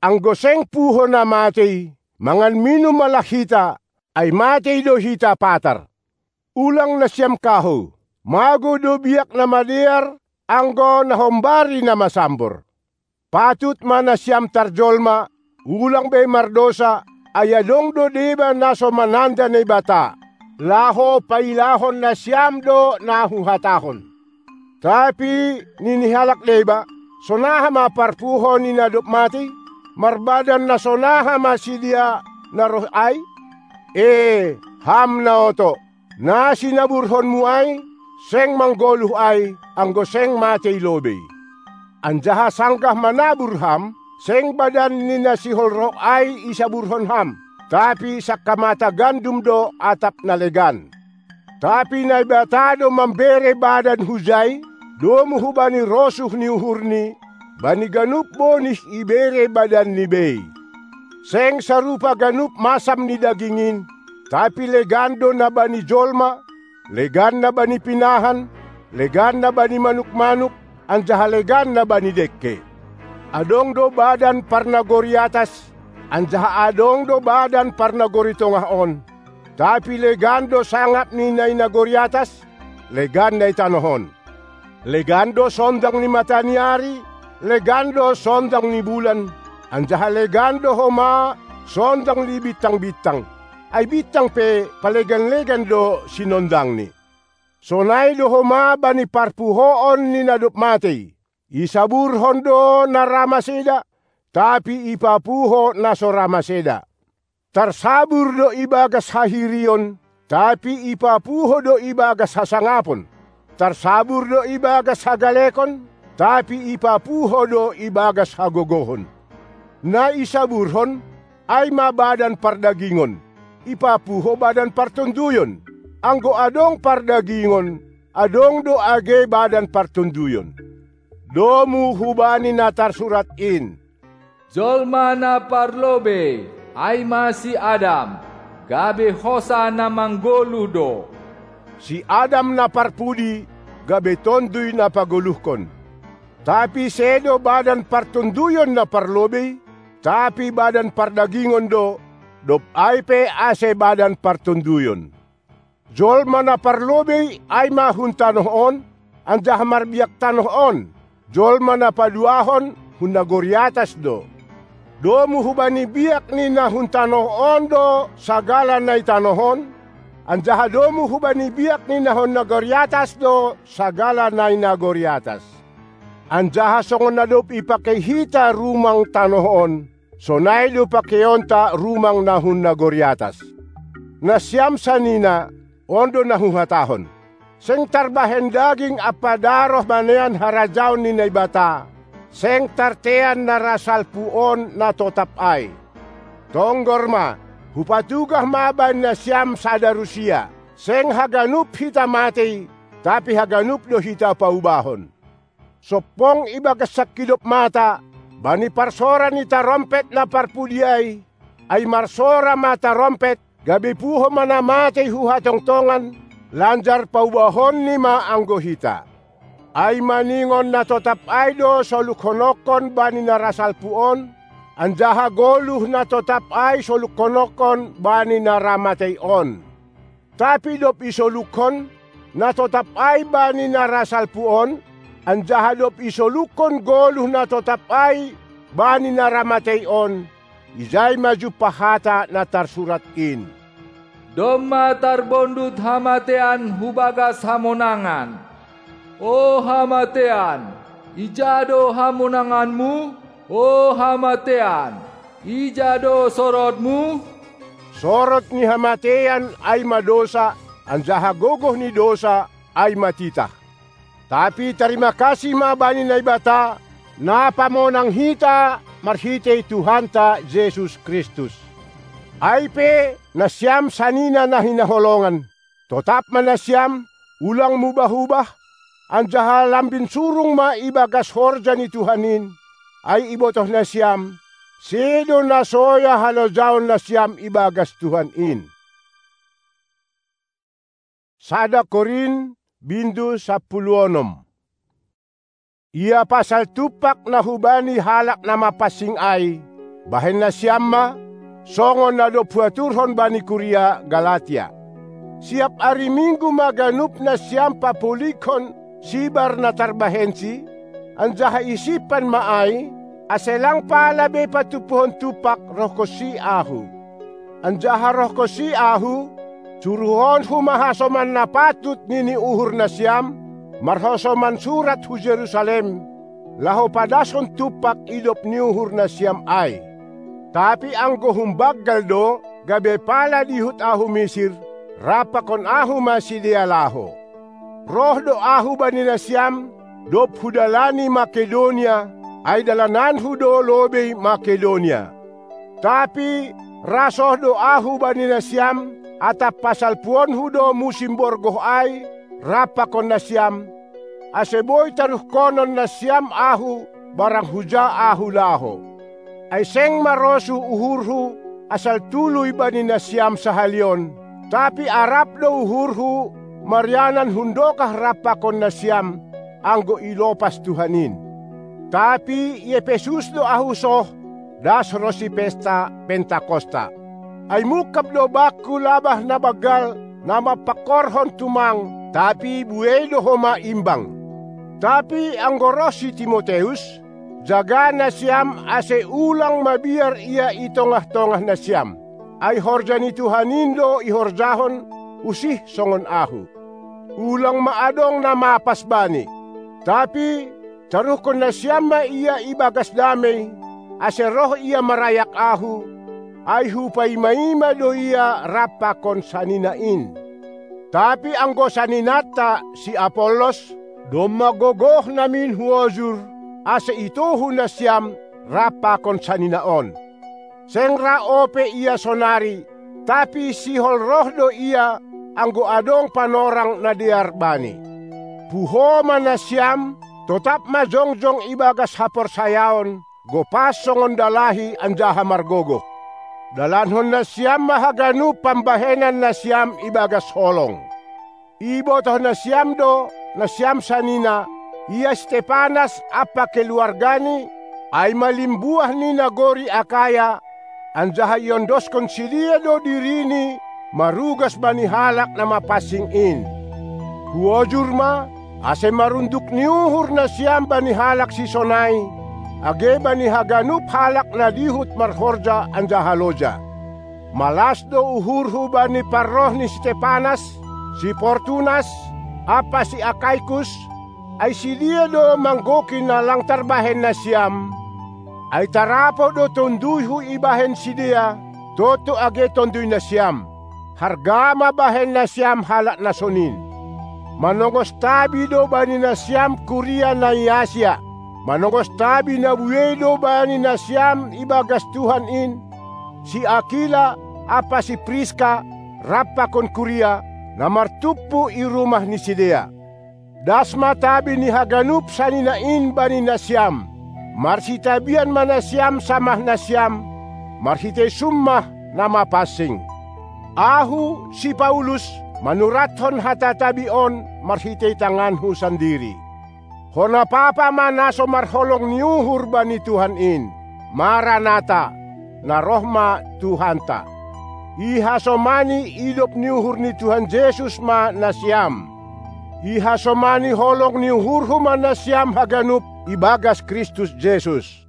Anggo seng puho na matei, mangan minum ma lah hita, ai matei do hita patar. Ulang nasiam kahou, mago do biak na madear, anggo na hombari na masambor. Patut ma nasiam tarjolma, ulang be mardosa, ai adong do deba na so mananda Naibata, laho pailahon nasiam do na huhatahon. Tapi nini halak deba, sonaha ma parpuho ni na dob matei? Marbadan na sonaha ma sidea na roh ai? E, ham na oto, na sinaburhonmu ai, seng manggoluh ai, anggo seng matei lobei. Anjaha sanggah manabur ham, seng badan ni na sihol roh ai isaburhon ham, tapi sangkamata gandum do atap na legan. Tapi Naibata do mambere badan hujai, domu hubani rosuh ni uhurni, bani ganup bonih ibere badanni bei. Seng sarupa ganup masam ni daging in, tapi legan do na bani jolma, legan na bani pinahan, legan na bani manukmanuk, anjaha legan na bani dengke. Adong do badan parnagori atas, anjaha adong do badan parnagori tongah on. Tapi legan do sangap ni na i nagori atas, legan na i tanoh on. Legan do sondang ni mata ni ari, legan do sondang ni bulan, anjaha legan do homa sondang ni bintang-bintang. Ai bintang pe palegan-legan do sinondangni. Sonai do homa bani parpuhoon ni na dob matei. Isaburhon do na ra maseda, tapi ipapuho na so ra maseda. Tarsabur do ibagas hahirion, tapi ipapuho do ibagas hasangapon. Tarsabur do ibagas hagalekon, tapi ipapuho do ibagas hagogohon. Na isaburhon, ai ma badan pardagingon, ipapuho badan partonduyon. Anggo adong pardagingon, adong do age badan partonduyon. Domu hubani na tarsurat in: Jolma na parlobei, ai ma si Adam, gabe hosa na manggoluh do. Si Adam na parpudi, gabe tonduy na pagoluhkon. Tapi sedo badan partonduyon na parlobei, tapi badan pardagingon do, dob ai pe ase badan partonduyon. Jolma na parlobei ai ma hun tanoh on, anjaha marbiak tanoh on. Jolma na paduahon hun nagori atas do. Domu hubani biak ni na hun tanoh on do sagala na i tanoh on, anjaha domu hubani biak ni na hun nagori atas do sagala na i nagori atas. Anjaha songon na dob ipakei hita rumang tanoh on, sonai do pakeionta rumang na hun nagori atas. Nasiam sanina, on do na huhatahon: Seng tarbahen daging ampa daroh manean harajaon ni Naibata, seng tartean na ra salpu on na totap ai. Tonggor ma, hupatugah ma bani nasiam sada rusia: Seng haganup hita matei, tapi haganup do hita paubahon. Sompong ibagas sangkidop mata, bani parsora ni tarompet na parpudi ai, ai marsora ma tarompet, gabe puho ma na matei hu hatongtongan, lanjar paubahonni ma anggo hita. Ai maningon na totap ai do solukhonongkon bani na ra salpu on, anjaha goluh na totap ai solukhonongkon bani na ra matei on. Tapi dob isolukhon, na totap ai bani na ra salpu on, anjaha dob isolukhon goluh na totap ai bani na ra matei on, ijai ma jumpah hata na tarsurat in: Domma tarbondut hamatean hu bagas hamonangan. O hamatean, ija do hamonanganmu? O hamatean, ija do sorotmu? Sorot ni hamatean ai ma dousa, anjaha gogoh ni dousa ai ma titah. Tapi tarima kasih ma bani Naibata, na pamonang hita marhitei Tuhanta Jesus Kristus. Ai pe, nasiam sanina na hinaholongan, totap ma nasiam, ulang mubah-ubah, anjaha lambin surung ma ibagas horja ni Tuhan in, ai ibotoh nasiam, sedo na soya halojaon nasiam ibagas Tuhan in. Sada Korint, bindu sampulu onom. Ia pasal tumpak na hubani halak na mapansing ai, bahen nasiam ma, songon na dob huaturhon bani kuria Galatia. Siap ari Minggu ma ganup nasiam papulikhon sibar na tarbahensi, anjaha isimpan ma ai, ase lang pala be patumpuhon tumpak rohkonsi ahu. Anjaha rohkonsi ahu, suruhonhu ma hasoman na patut nini uhur nasiam, marhasoman surat hu Jerusalem, laho padashon tumpak idop ni uhur nasiam ai. Tapi anggo humbanggal do, gabe pala dihut ahu Misir, rap pakon ahu ma sidea laho. Roh do ahu bani nasiam, dob hudalani Makedonia, ai dalananhu do lobei Makedonia. Tapi ra soh do ahu bani nasiam, atap pasalpuonhu do musim borgoh ai, rap pakon nasiam, ase boi taruhkonon nasiam ahu, barang huja ahu laho. Ai seng marosuh uhurhu, asal tului bani nasiam sahali on, tapi arap do uhurhu, marianan hundokah rap pakon nasiam, anggo ilopas Tuhan in. Tapi i Epesus do ahu soh, das ronsi pesta Pentakosta. Ai mungkap do bakku labah na banggal, na mampangkorhon tumang, tapi buei do homa imbang. Tapi anggo roh si Timoteus, jaga nasiam ase ulang mabiar ia i tongah-tongah nasiam. Ai horja ni Tuhan in do ihorjahon, usih songon ahu. Ulang ma adong na mapas bani. Tapi, taruhkon nasiam ma ia ibagas damei, ase roh ia marayak ahu, ai hupaima-ima do ia rap pakon sanina in. Tapi anggo saninanta si Apollos, domma gogoh namin huojur, ase itohu nasiam rap pakon sanina on. Seng ra ope ia sonari, tapi sihol roh do ia, anggo adong panorang na dear bani. Puho ma nasiam, totap ma jongjong ibagas haporsayaon, gopas songon dalahi anjaha margogoh. Dalankon nasiam ma haganup pambahenan nasiam ibagas holong. Ibotoh nasiam do, nasiam sanina, ia Stepanas ampa keluargani, ai ma limbuah ni nagori Akaya, anjaha iondoskon sidea do dirini marugas bani halak na mapansing in. Huojur ma, ase marunduk ni uhur nasiam bani halak sisonai, age bani haganup halak na dihut marhorja anjaha loja. Malas do uhurhu bani parroh ni si Stepanas, si Portunas, ampa si Akaikus, ai sidea do manggoki na lang tarbahen nasiam, ai tarapoh do tonduyhu ibahen sidea, toto age tonduy nasiam. Harga ma bahen nasiam halak na sonin. Manongos tabi do bani nasiam kuria na i Asia. Manongos tabi na buei do bani nasiam ibagas Tuhan in, si Akila ampa si Priska, rap pakon kuria, na martumpu i rumah ni sidea. Das ma tabi ni haganup sanina in bani nasiam. Marsitabian ma nasiam samah nasiam, marhitei summah na mapansing. Ahu, si Paulus, manurathon hata tabi on marhitei tanganhu sandiri. Hona papa ma na so marholong ni uhur bani Tuhan in. Maranata, na roh ma Tuhanta. Ihasomani idop ni uhur ni Tuhan Jesus ma nasiam. Ihasomani holong ni uhurhu ma nasiam haganup ibagas Kristus Jesus.